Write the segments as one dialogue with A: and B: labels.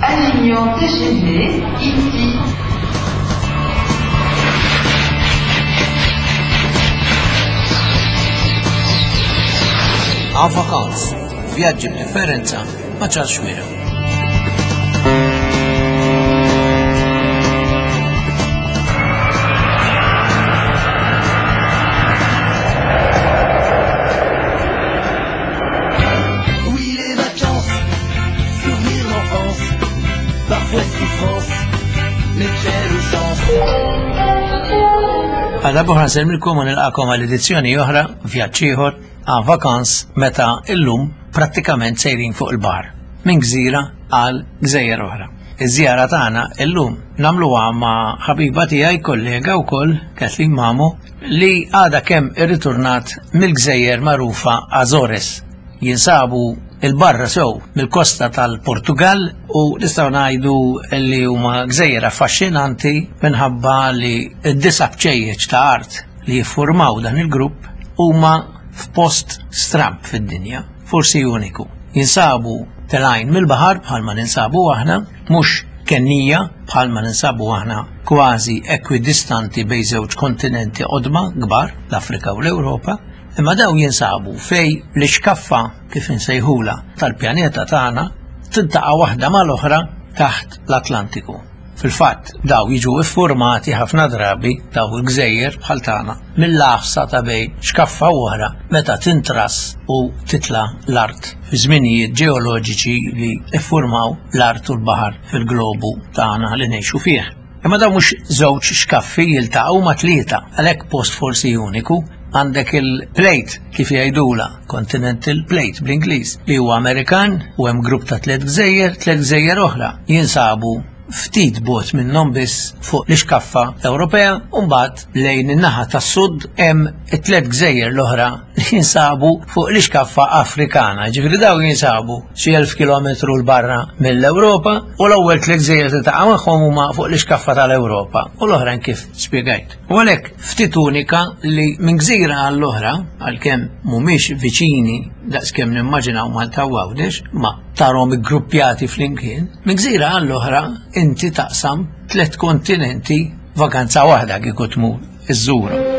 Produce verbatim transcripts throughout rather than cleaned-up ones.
A: Avignon T G V, ici.
B: En vacances, vjaġġi b'differenza ma' Charles Xuereb.
C: Oui, les vacances, souvenirs d'enfance, parfois souffrance, mais quelle chance.
B: Għal darb'oħra nsellmilkom u nilqagħkom għal edizzjoni oħra, vjaġġ ieħor, En vacances, meta illum prattikament sejrin fuq il-baħar, minn gżira għal gżejjer oħra. Iż-żjara tagħna illum nagħmluha ma' ħabiba tiegħi, kollega wkoll, Kathleen Mamo, li għadha kemm irritornat mill-gżejjer magħrufa Azores. Jinsabu 'il barra sew mill-kosta tal-Portugal u nistgħu ngħidu li huma gżejjer affaxxinanti minħabba li d-disa' bċejjeċ ta' art li jiffurmaw dan il-grupp huma f'post stramb fid-dinja, forsi uniku. Jinsabu telgħin mill-baħar bħalma ninsabu aħna, mhux kennija bħalma ninsabu aħna, kważi ekwidistanti bejn żewġ kontinenti qodma kbar, l-Afrika u l-Ewropa, imma daw jinsabu fej l-ixkaffa, kif insejħula, tal-pjaneta tagħna tiltaqa' waħda mal-oħra taħt l-Atlantiku. Fil-fatt, daw jiġu iffurmati ħafna drabi, daw il-gżejjer bħal tagħna, mill-għafsa ta' bejn xkaffa u oħra meta tintras u titla l-art fi żminijiet ġeoloġiċi li iffurmaw l-art u l-baħar fil-globu tagħna li ngħixu fih. Imma daw mhux żewġ xkaffi jiltaqgħu, ma tlieta, għalhekk post forsi uniku. Għandek il-plate, kif jgħidula, continental plate bl-Ingliż, li huwa Amerikan, u hemm grupp ta' tliet gżejjer, tliet gżejjer oħra jinsabu ftit bogħod minnhom biss fuq l-ixkaffa Ewropea, u mbagħad lejn in-naħa tas-sud hemm it-tliet gżejjer l-oħra li jinsabu fuq l-ixkaffa Afrikana. Ġifieri daw jinsabu xi elf kilometru 'l barra mill-Ewropa u l-ewwel tliet gżejjer li taqa' magħhom huma fuq l-ixkaffa tal-Ewropa u l-oħrajn kif spjegajt. U għalhekk ftit unika li minn gżira għall-oħra, għalkemm mhumiex viċini daqskemm nimmaġinaw Malta u Għawdex, ma tarhom iggruppjati flimkien, minn gżira għall-oħra inti taqsam tliet kontinenti vakanza waħda kieku tmur iżżurhom.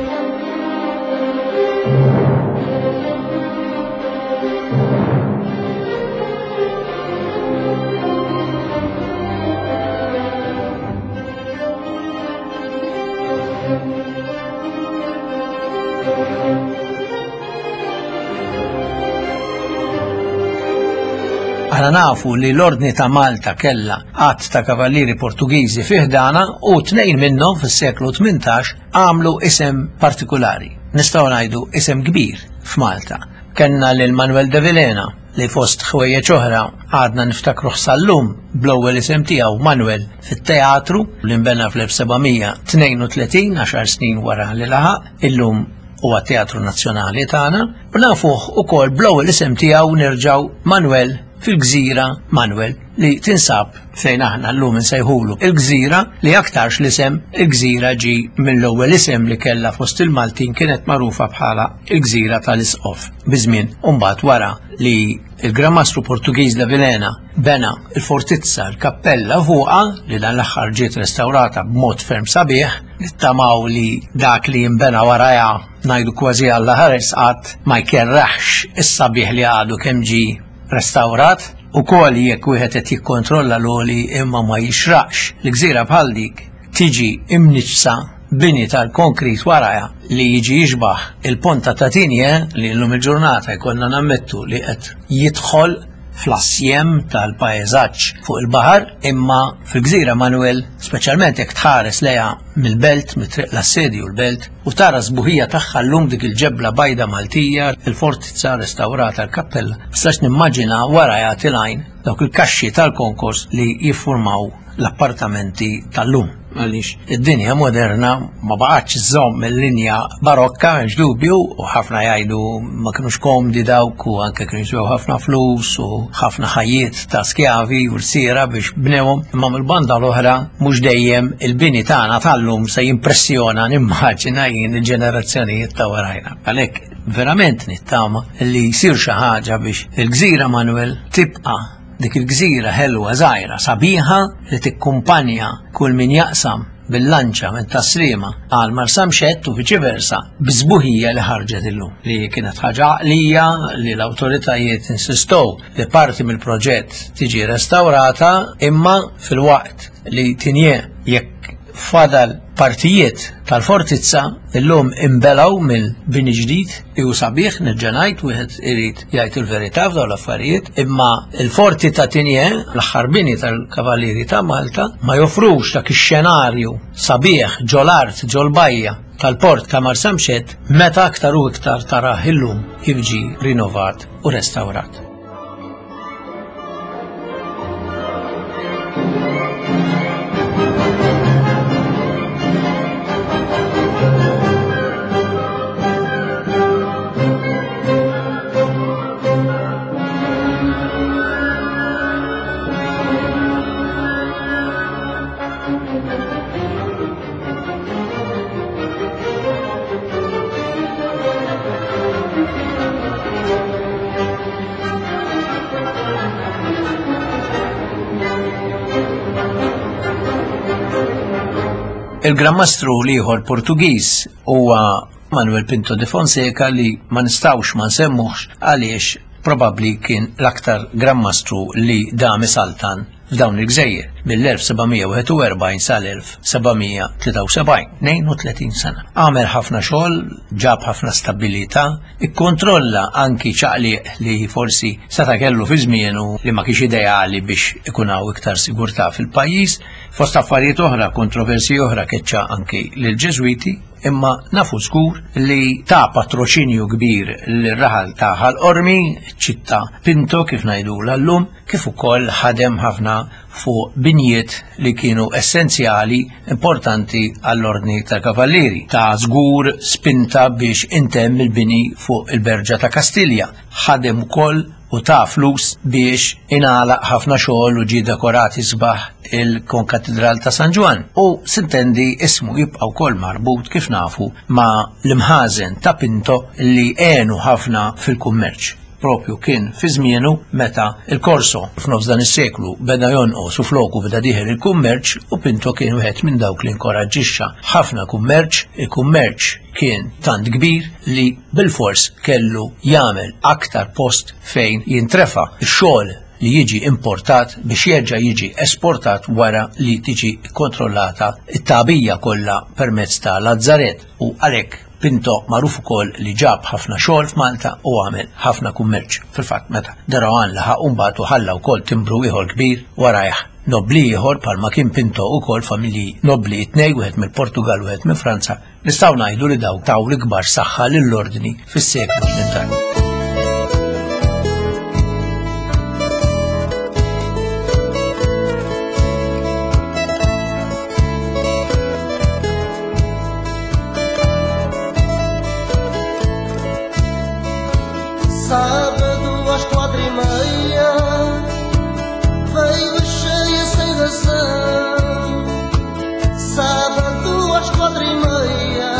B: Aħna nafu li l-Ordni ta' Malta kella għadd ta' kavallieri Portugiżi fi ħdanha u tnejn minnhom fis-seklu tmintax għamlu isem partikolari. Nistgħu ngħidu isem kbir f'Malta. Kenna lil Manuel de Vilhena, li fost ħwejjeġ oħra għadna niftakru sal-lum bl-ewwel isem tiegħu Manuel fit-teatru li nbena fl-elf seba' mija tnejn u tletin, għaxar snin wara li laħaq illum huwa Teatru Nazzjonali tagħna, u nafuh ukoll bl-ewwel isem tiegħu nerġgħu Manuel fil-gżira Manuel li tinsab fejn aħna llum insejħulu il-gżira, li aktarx l-isem il-gżira ġi mill-ewwel isem li kellha fost il-Maltin, kienet magħrufa bħala il-gżira tal-Isqof. Biżmien mbagħad, wara li il-Gran Mastru Portugiż de Vilhena bena il-fortizza, l-kappella fuqha, li dan l-aħħar ġiet restaurata b'mod ferm sabiħ, nittamaw li dak li jimbena warajha, ngħidu kważi Alla ħares qatt ma jkerraħx is-sabiħ li għadu kemm ġi restaurat, u kol jekk wieħed qed jikkontrolla l-oli, imma ma jixraqx li gżira bħal dik tiġi imniġsa bini tal-konkrit warajha li jiġi jixbaħ il-ponta ta' Tigné, li llum il-ġurnata jkollna nammettu li qed jidħol fl-assjem tal-pajzaġġ fuq il-baħar, imma fil-gżira Manuel, speċjalment jekk tħares lejha mill-belt, mit-triq l-Assedju l-Belt, u tara sbuħija tagħha llum, dik il-ġebla bajda Maltija, il-fortizza restaurata, l-kappella, nistax nimmaġina wara jagħti l-għajn dawk il-kaxxi tal-konkors li jiffurmaw l-appartamenti tal-lum. Għaliex id-dinja moderna ma baqgħetx żomm il-linja barokka, m'hemmx dubju, u ħafna jgħidu ma kinux komdi dawk u anke kienu jiswew ħafna flus u ħafna ħajjiet ta' skjavi u rsiera biex bnewhom, imma mill-banda l-oħra mhux dejjem il-bini tagħna tal-lum se jimpressjona, nimmaġina jien, il-ġenerazzjonijiet ta' warajna. Għalhekk verament nittama li jsir xi ħaġa biex il-Gżira Manuel tibqa' dik il-gżira ħelwa żgħira sabiħa li tikkumpanja kull min jaqsam bil-lanċa minn Tas-Sliema għal Marsamxett u viċi versa biż-sbuħija li ħarġet illum, li kienet ħaġa għaqlija li l-awtoritajiet insistow li parti mill-proġett tiġi restaurata, imma fil-waqt li Tigné jekk fadal partijiet tal-fortizza illum imbelaw mill-bini ġdid ju sabiħ, nerġa' ngħid, wieħed irid jgħid il-verità f'dawn l-affarijiet, imma il-forti ta' Tigné, l-aħħar bini tal-Kavallieri ta' Malta, ma joffrux dak ix-xenarju sabiħ ġol-art, ġol-bajja tal-port ta' Marsamxett, meta aktar u iktar tarah illum kif ġie rinnovat u restawrat. Il-Gran Mastru l-ieħor Portugiż huwa Manuel Pinto de Fonseca, li ma nistgħux ma nsemmuhx għaliex probabbli kien l-aktar Gran Mastru li dam isaltan f'dawn il-gżejjer mill-elf seba' mija wieħed u erbgħin sal-elf seba' mija tlieta u sebgħin, tnejn u tletin sena. Għamel ħafna xogħol, ġab ħafna stabilità, ikkontrolla anki ċaqliq li forsi seta' kellu fi żmienu li ma kienx ideali biex ikun hawn iktar sigurtà fil-pajjiż. Fost affarijiet oħra, kontroversi oħra, keċċa anki lill-Ġeżwiti, imma nafu żgur li ta' patroċinju kbir lir-raħal ta' Ħal Qormi, ċittà Pinto kif ngħidulha llum, kif ukoll ħadem ħafna fuq binjiet li kienu essenzjali importanti għall-ordni tal-Kavallieri. Ta' żgur spinta biex intemm il-bini fuq il-Berġa ta' Kastilja. Ħadem ukoll u ta' flus biex ingħalaq ħafna xogħol u ġie dekorati sbaħ il-Konkatedral ta' San Ġwann. U sintendi ismu jibqa' wkoll marbut kif nafu ma' l-imħażen ta' Pinto li għenu ħafna fil-kummerċ. Propju kien fi żmienu meta il-Korso f'nofs dan is-seklu beda jonqos u floku beda dieħel il-kummerċ, u Pinto kien wieħed minn dawk li inkoraġġixxa ħafna kummerċ. Il-kummerċ kien tant kbir li bilfors kellu jagħmel aktar post fejn jintrefa x-xogħol li jiġi importat biex jerġa' jiġi esportat wara li tiġi kontrollata it-tagħbija kollha permezz ta' Lazzaret, u għalhekk Pinto magħruf ukoll li ġab ħafna xogħol f'Malta u għamel ħafna kummerċ. Fil-fatt meta De Rohan laħaq u mbagħad u ħalla wkoll timbru ieħor kbir warajh nobli ieħor bħalma kien Pinto ukoll, familji nobli tnej, wieħed mill-Portugal u wieħed minn Franza, nistgħu ngħidu li daw taw l-ikbar saħħa lill-ordni fis-seklu tmintax.
C: Sábado às quatro e meia veio cheia sem razão. Sábado às quatro e meia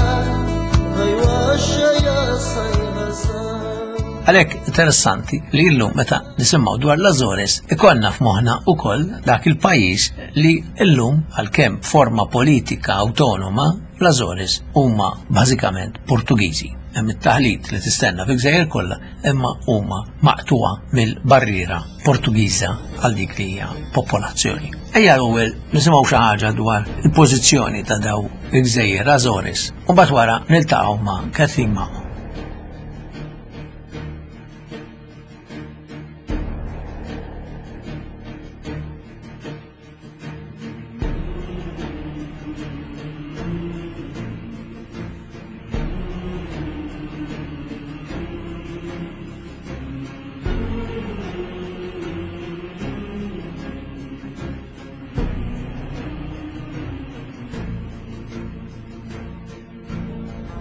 C: veio a cheia sem razão.
B: Għalhekk interessanti li llum meta nisimgħu dwar l-Azores ikollna f'moħħna wkoll dak il-pajjiż li llum għalkemm forma politika awtonoma l-Azores huma bażikament Portugiżi. Hemm it-taħlit li tistenna fi gżejjer kollha, imma huma maqtuwa mill-barriera Portugiża għal dik li hija popolazzjoni. Ejja l-ewwel nisimgħu xi ħaġa dwar il-pożizzjoni ta' daw il-gżejjer Azores u mbagħad wara niltaqgħu ma' Kathleen Mamo.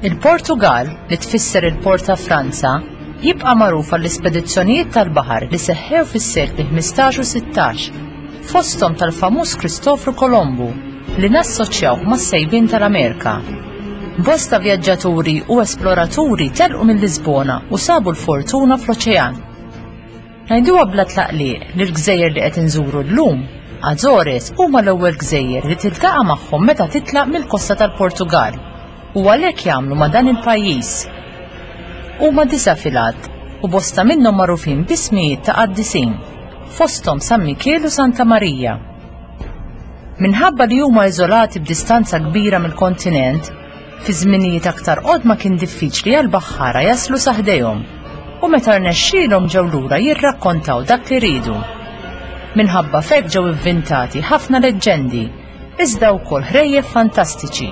D: Il-Portugal, li tfisser il-Port ta' Franza, jibqa' magħruf għall-ispedizzjonijiet tal-baħar li seħħew fis-sekli ħmistax u sittax, fosthom tal-famuż Kristofru Kolombu li nassoċjawh mas-sejbien tal-Amerika. Bosta vjaġġaturi u esploraturi telqu minn Lisbona u sabu l-fortuna fl-oċean. Ngħiduha bla tlaqliq li l-gżejjer li qed inżuru llum, Azores, huma l-ewwel gżejjer li tiltaqa' magħhom meta titlaq mill-kosta tal-Portugal u għalhekk jagħmlu ma' dan il-pajjiż. Huma disa' fil-għadd u bosta minnhom magħrufin b'ismijiet ta' qaddisin, fosthom San Mikiel u Santa Marija. Minħabba li huma iżolati b'distanza kbira mill-kontinent, fi żminijiet aktar qodma kien diffiċli għal baħħara jaslu sa ħdejhom u meta rnexxielhom ġew lura jirrakkontaw dak li ridu. Minħabba f'hekk ġew ivvintati ħafna leġġendi, iżda wkoll ħrejjef fantastiċi.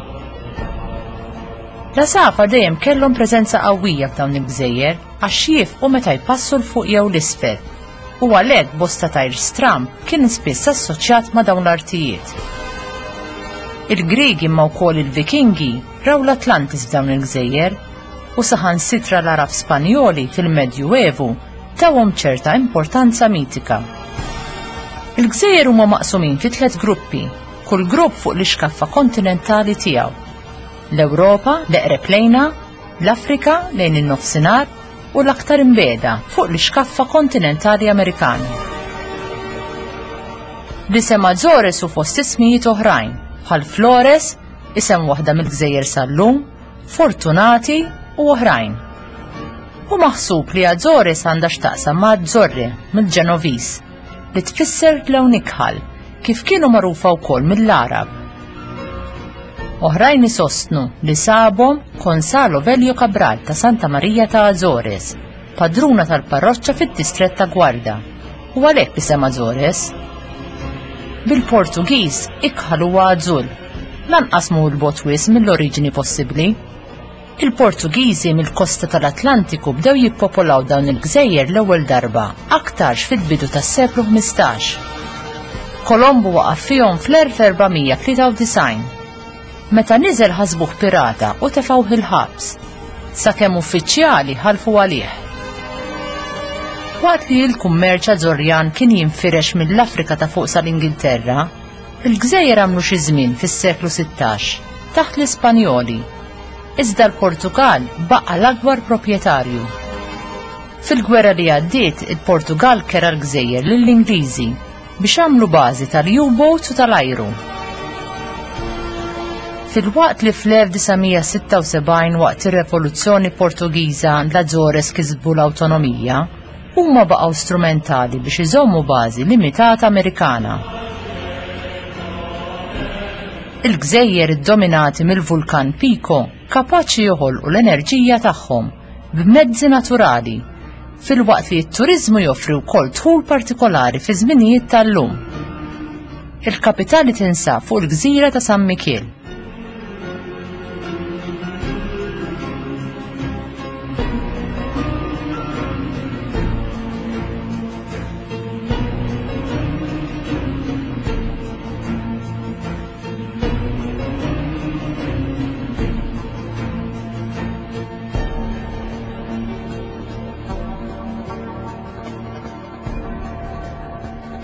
D: L-għasafar dejjem kellhom preżenza qawwija f'dawn il-gżejjer għax jifqu meta jpassu 'l fuq jew 'l isfel u għalhekk bosta tajr stramb kien spiss assoċjat ma' dawn l-artijiet. Il-Griegi imma wkoll il-Vikingi raw l-Atlantis f'dawn il-gżejjer u saħansitra l-Għarab Spanjoli fil-Medjuevu tawhom ċerta importanza mitika. Il-gżejjer huma maqsumin fi tliet gruppi, kull grupp fuq l-ixkaffa kontinentali tiegħu. L-Ewropa, l-eqreb lejna, l-Afrika lejn in-nofsinhar u l-aktar imbiegħda fuq l-ixkaffa kontinentali Amerikana. L-isem Azores u fost ismijiet oħrajn, bħal Flores, isem waħda mill-gżejjer sal-lum, Fortunati u oħrajn. Hu maħsub li Azores għandha x'taqsam ma' Azzorre mill-Ġenoviż, li tfisser lewn ikħal, kif kienu magħrufa wkoll mill-Għarab. Oħrajn isostnu li sabhom Gonzalo Velho Cabral ta' Santa Maria ta' Azores, padruna tal-parroċċa fid-distrett ta' Guarda, u għalhekk isem Azores. Bil-Portugiż ikħal huwa azzul, lanqas mhu 'l bogħod wisq mill-oriġini possibbli. Il-Portugiżi mill-kosta tal-Atlantiku bdew jippopolaw dawn il-gżejjer l-ewwel darba aktarx fil-bidu tas-seklu ħmistax. Kolombu waqaf fihom fl-elf erba' mija tlieta u disgħin. Meta niżel ħasbuh pirata u tefgħuh il-ħabs, sakemm uffiċjali ħalfu għalih. Waqt li l-kummerċ Azzorjan kien jinfirex mill-Afrika ta' fuq sal-Ingilterra, il-gżejjer għamlu xi żmien fis-seklu sittax taħt l-Ispanjoli. Iżda l-Portugal baqa' l-akbar proprjetarju. Fil-gwerra li għaddiet, il-Portugal kera l-gżejjer lill-Ingliżi biex għamlu bażi tal-U-boats u tal-ajru. Filwaqt li fl-elf disa' mija sitta u sebgħin waqt ir-Revoluzzjoni Portugiża l-Azores kisbu l-awtonomija, huma baqgħu strumentali biex iżommu bażi limitata Amerikana. Il-gżejjer iddominati mill-vulkan Pico kapaċi joħolqu l-enerġija tagħhom b'mezzi naturali, filwaqt li t-turiżmu joffri wkoll dħul partikolari fi żminijiet tal-lum. Il-kapitali tinsab fuq il-gżira ta' San Mikiel.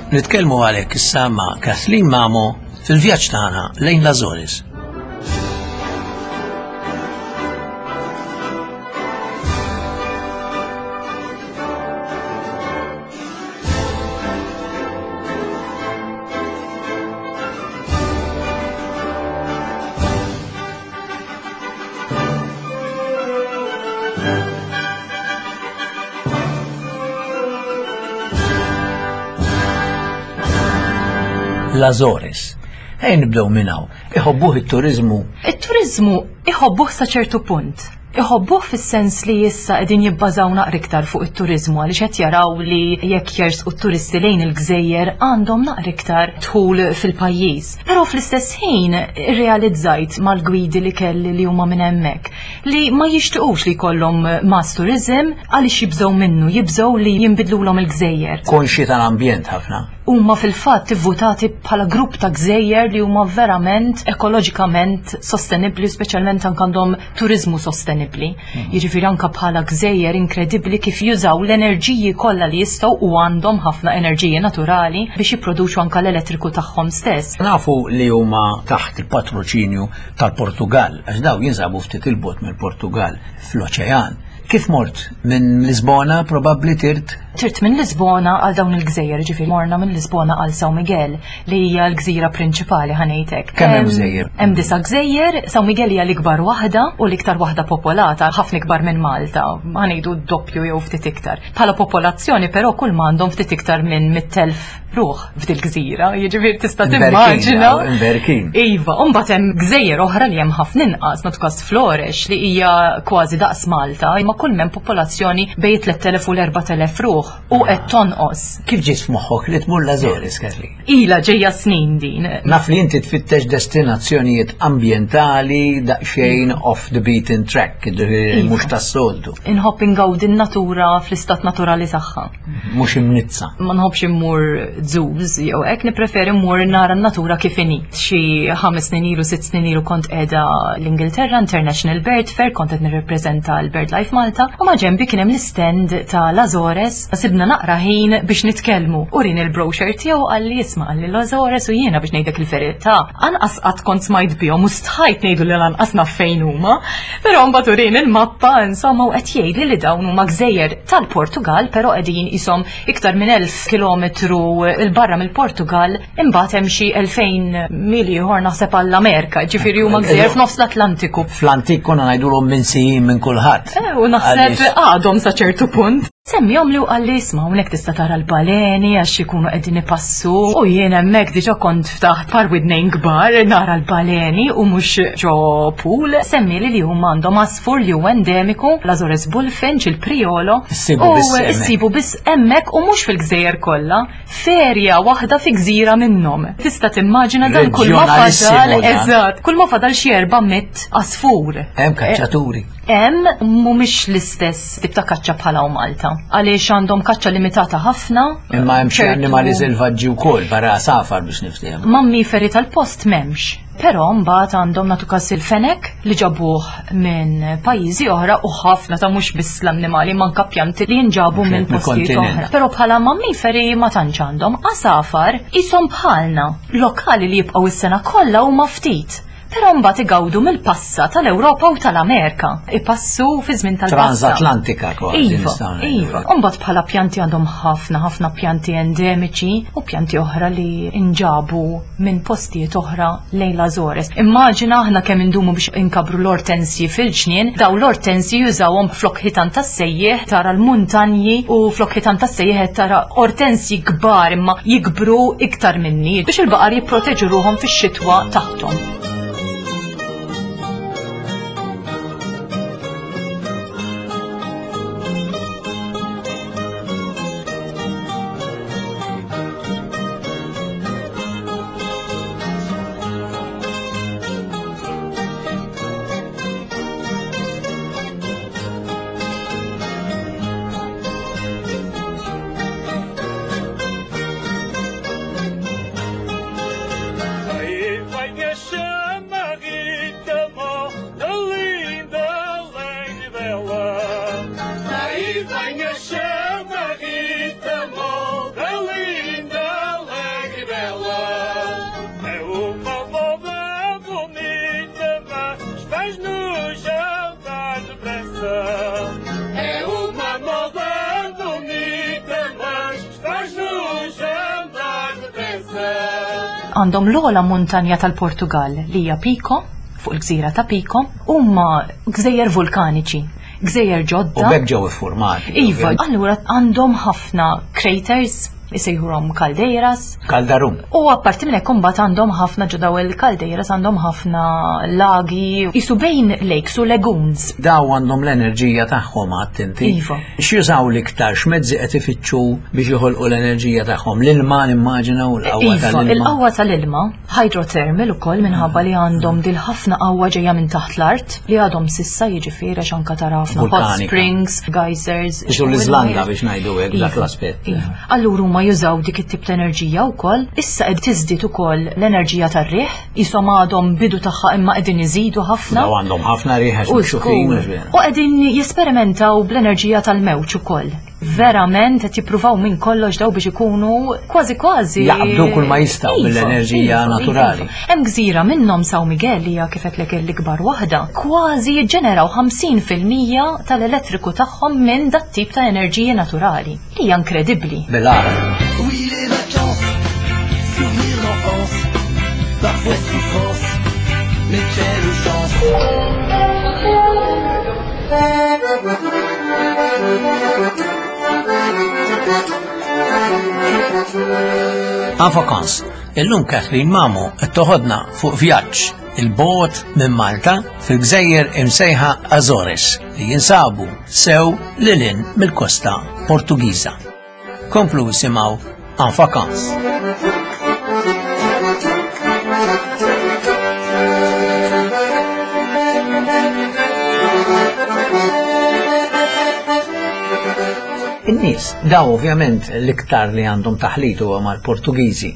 B: Nitkellmu għalhekk issa ma' Kathleen Mamo fil-vjaġġ tagħna lejn l-Azores. L-Azores. Ejn nibdew minn hawn. Iħobbuh it-turizmu?
E: It-turizmu iħobbuh sa ċertu punt. Iħobbuh fis-sens li issa qegħdin jibbażaw naqra iktar fuq it-turizmu għaliex qed jaraw li jekk jersqu t-turisti lejn il-gżejjer għandhom naqra iktar dħul fil-pajjiż. Però fl-istess ħin irrealizzajt mal-gwidi li kelli li huma minn hemmhekk li ma jixtiequx li jkollhom mass tourism għaliex jibżgħu minnu, jibżgħu li jinbidlulhom il-gżejjer.
B: Konxi tal-ambjent ħafna.
E: Huma fil-fatt ivvutati bħala grupp ta' gżejjer li huma verament ekoloġikament sostenibbli, speċjalment anke għandhom turiżmu sostenibbli.
B: Mhm.
E: Jiġifieri anke bħala gżejjer inkredibbli kif jużaw l-enerġiji kollha li jistgħu u għandhom ħafna enerġiji naturali biex jipproduċu anke l-elettriku tagħhom stess.
B: Nafu li huma taħt il-patroċinju tal-Portugal, għax daw jinsabu ftit il-bot mill-Portugal fl-oċean. Kif mort? Minn Lisbona probabbli tirt?
E: Tirt minn Lisbona għal dawn il-gżejjer, ġifieri morna minn Lisbona għal São Miguel, li hija l-gżira prinċipali ħanejtek.
B: Kemm hemm gżejjer?
E: Hemm disa' gżejjer, São Miguel hija l-ikbar waħda u l-iktar waħda popolata, ħafna ikbar minn Malta, ħanejdu doppju jew ftit iktar. Bħala popolazzjoni però kull ma għandhom ftit iktar minn mitt elf ruħ f'dil gżira, jiġifieri tista' timmaġina.
B: Imberkin.
E: Iva, u mbagħad hemm gżejjer oħra li hemm ħafna inqas, nagħtu każ Flores li hija kważi daqs Malta, imma kull m'hemm popolazzjoni bejn tliet elef u l-erbat elef ruħ u qed tonqos.
B: Kif ġiet f'moħħok li tmur l-Azores, Kathleen?
E: Ila ġejja snin din.
B: Naf li inti tfittex destinazzjonijiet ambjentali daqsxejn off the beaten track, ġifieri
E: Iva.
B: mhux tas-soltu,
E: Inħobb ingawdi n-natura fl-istat naturali tagħha.
B: mhux imnizza.
E: Ma nħobbx immur zoos jew hekk, nippreferi mmur nara n-natura kif inhi. Xi ħames snin ilu, sitt snin ilu kont qiegħda l-Ingilterra, International Bird Fair, kont qed nirrepreżenta l-BirdLife Malta, u ma ġenbi kien hemm l-stand ta' l-Azores, sibna naqra ħin biex nitkellmu. U rin il-brochure tiegħu qalli isma' qalli l-Azores u jiena biex ngħidlek il-verità. Anqas qatt kont smajt bihom u stħajt ngħidu li lanqas naf fejn huma. Però mbagħad urin il-mappa insomma u qed jgħidli li dawn huma gżejjer tal-Portugal, però qegħdin ishom iktar minn elf kilometru 'il barra mill-Portugal, imbagħad hemm xi elfejn mili ieħor naħseb għall-Amerika, ġifieri huma gżejjer f'nofs l-Atlantiku.
B: Fl-antik konna ngħidulhom minsijin minn kulħadd.
E: Eh, u naħseb
B: Għaliex-
E: għadhom sa ċertu punt. Semmihom li u qalli isma' hawnhekk tista' tara l-baleni għax ikunu qegħdin ipassu u jien hemmhekk diġà kont ftaħt par widnejn kbar nara l-baleni u mhux ġo pool. Semmili li huma għandhom għasfur li huwa endemiku, l-Azores Bullfinch, il-Priolo.
B: Issibu
E: U
B: biss hemmhekk.
E: issibu biss hemmhekk u mhux fil-gżejjer kollha, ferja waħda fi gżira minnhom. Tista' timmaġina dan kull ma fadal,
B: Reġjonalissimu dan.
E: eżatt, kull ma fadal xi erba' mitt għasfur.
B: Hemm kaċċaturi.
E: Hemm mhumiex l-istess tip ta' kaċċa bħala u Malta. Għaliex għandhom kaċċa limitata ħafna.
B: Imma hemm xi
E: ċertu-
B: annimali selvaġġi wkoll barra safar biex niftehmu.
E: Mammiferi tal-post m'hemmx. Però mbagħad għandhom nagħtu każ il-fenek li ġabuh minn pajjiżi oħra u ħafna ta' mhux biss l-annimali manka pjanti li jinġabu
B: Mhux
E: minn
B: hekk,
E: postijiet
B: mill-kontinent.
E: oħra. Però bħala mammiferi ma tantx għandhom. Għasafar ishom bħalna. Lokali li jibqgħu is-sena kollha huma ftit. Però mbagħad igawdu mill-passa tal-Ewropa u tal-Amerika. Ipassu fi żmien tal-passa.
B: Transatlantika kważi
E: Iva,
B: nistgħu ngħidu.
E: iva. Umbagħad bħala pjanti għandhom ħafna ħafna pjanti endemiċi u pjanti oħra li inġabu minn postijiet oħra lejn l-Azores. Immaġina aħna kemm indumu biex inkabru l-ortensji fil-ġnien, daw l-ortensji jużawhom flok ħitan tas-sejjieħ tara l-muntanji u flok ħitan tas-sejjieħ qed tara ortensji kbar imma jikbru iktar minni biex il-baqar jipproteġu ruhom fix-xitwa taħthom.
F: Aí vai a chama Rita Moda, linda, alegre e bela. Aí vem a chama Rita Moda, linda, alegre e bela. É uma moda bonita, mas faz-nos andar depressa. É uma moda bonita, mas faz-nos andar depressa.
E: Għandhom l-ogħla muntanja tal-Portugal li hija Pico, fuq il-gżira ta' Pico, huma gżejjer vulkaniċi, gżejjer
B: U
E: ġodda.
B: b'hekk ġew iffurmati.
E: Iva, allura għandhom ħafna craters, isejħurhom caldeiras.
B: Kaldarum.
E: U apparti minn hekk imbagħad għandhom ħafna ġo daw il-caldeiras għandhom ħafna lagi, isu bejn lakes u lagoons.
B: Daw għandhom l-enerġija tagħhom għadt inti.
E: Iva.
B: X'jużaw l-iktar, x'mezzi qed ifittxu biex joħolqu l-enerġija tagħhom? L-ilma nimmaġina u l-qawwa
E: Iva,
B: tal-ilma.
E: il-qawwa tal-ilma, hydrothermal ukoll minħabba li għandhom dil ħafna qawwa ġejja minn taħt l-art li għadhom sissa jiġifieri għax anke tara ħafna hot
B: Vulkanika.
E: springs, geysers.
B: Isu l-Iżlanda biex ngħidu hekk dak
E: Iva,
B: l-aspett.
E: Iva. Allura huma huma jużaw dik it-tip ta' enerġija wkoll. Issa qed tiżdied ukoll l-enerġija tar-riħ, qishom għadhom bidu tagħha imma qegħdin iżidu ħafna.
B: Daw għandhom ħafna riħ għax
E: U
B: mikxufin.
E: żgur. U qegħdin jesperimentaw bl-enerġija tal-mewġ ukoll. Verament qed jippruvaw minn kollox daw biex ikunu kważi kważi
B: Jaqbdu kull ma jistgħu
E: Iva,
B: mill-enerġija
E: iva,
B: naturali.
E: iva. Hemm gżira minnhom, São Miguel, hija kif qedlek l-ikbar waħda, kważi jiġġeneraw ħamsin fil-mija tal-elettriku tagħhom minn dat tip ta' enerġija naturali. Li hija inkredibbli.
B: Bil-għar.
C: Oui, les vacances, souvenirs d'enfance, parfois souffrance, mais quelle chance.
B: En vacances, illum Kathleen Mamo qed toħodna fuq vjaġġ 'il bogħod minn Malta fil-gżejjer imsejħa Azores li jinsabu sew lil hinn mill-kosta Portugiża. Komplu isimgħu En vacances. In-nies, daw ovvjament l-iktar li għandhom taħlit huwa mal-Portugiżi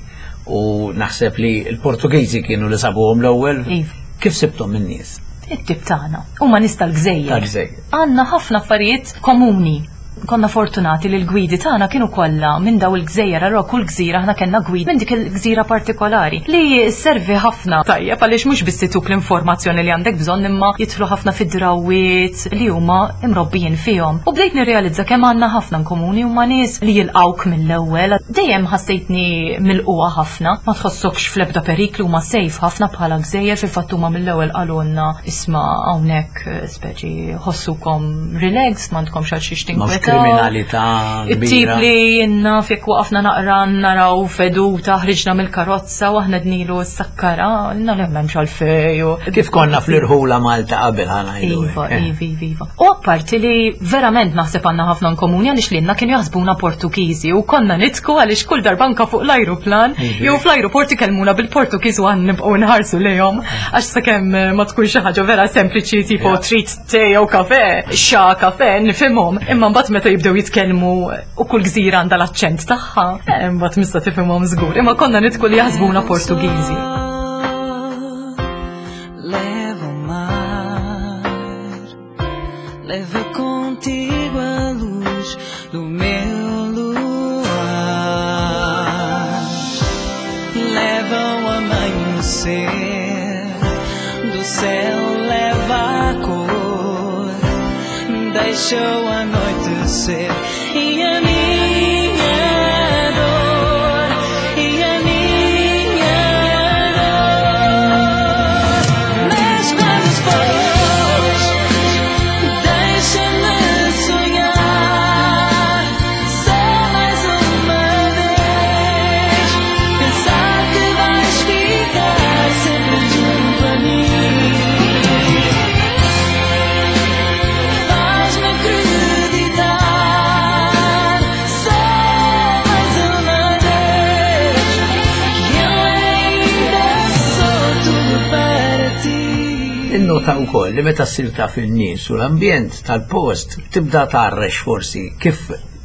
B: u naħseb li l-Portugiżi kienu li sabuhom l-ewwel.
E: Iva.
B: Kif sibthom in-nies?
E: It-tip tagħna. Huma nies tal-gżejjer.
B: Tal-gżejjer.
E: Għandna ħafna affarijiet komuni. Konna fortunati li l-gwidi tagħna kienu kollha minn daw il-gżejjer, allura kull gżira aħna kellna gwida minn dik il-gżira partikolari li servi ħafna tajjeb għaliex mhux biss ituk l-informazzjoni li għandek bżonn imma jidħlu ħafna fid-drawiet li huma imrobbijin fihom. U bdejt nirrealizza kemm għandna ħafna komuni. Huma nies li jilqawk mill-ewwel. Dejjem ħassejtni milqugħa ħafna, ma tħossokx fl-ebda periklu, huma safe ħafna bħala gżejjer. Fil-fatt huma mill-ewwel qalulna, "Isma' hawnhekk eh, speċi ħossukom relaxed, m'għandkomx għal xiex
B: Mhux
E: tinkwetaw."
B: kriminalità
E: It-tip
B: kbira.
E: li jenna fjek waqafna naqra naraw feduta, ħriġna mill-karozza u aħna dnilu s-sakkara, għalna li m'hemmx għalfej. u-
B: Kif konna fl-irħula Malta qabel, ħa ngħidu.
E: Iva,
B: hekk, eh.
E: iva, iva, iva. U apparti li verament naħseb għandna ħafna komuni għaliex lilna kienu jaħsbuna Portugiżi u konna nidħku għaliex kull darba anka fuq l-ajruplan
B: Iva.
E: jew fl-ajruport ikellmuna bil-Portugiż u għan nibqgħu nħarsu lejhom għax sakemm eh, ma tkun xi ħaġa vera sempliċi tipo
B: Ja.
E: trid te jew kafe, xa kafe, nifhimhom. Imma mbagħad meta jibdew jitkellmu u kull gżira għandha l-aċċent tagħha, eh, mbagħad mista tifhimhom żgur. Imma konna nidħku li jaħsbuna Portugiżi.
C: Leva o mar, leva contigo a luz do meu luar. Leva o amanhecer, do céu leva a cor, deixa o anoitecer e a minha dor, e a minha dor. Mas quando fores, deixa-me sonhar só mais uma vez. Pensar que vais ficar sempre junto a mim. Faz-me acreditar só mais uma vez que eu ainda sou tudo para ti.
B: Innota wkoll li meta ssir taf in-nies u l-ambjent tal-post tibda tgħarrex forsi kif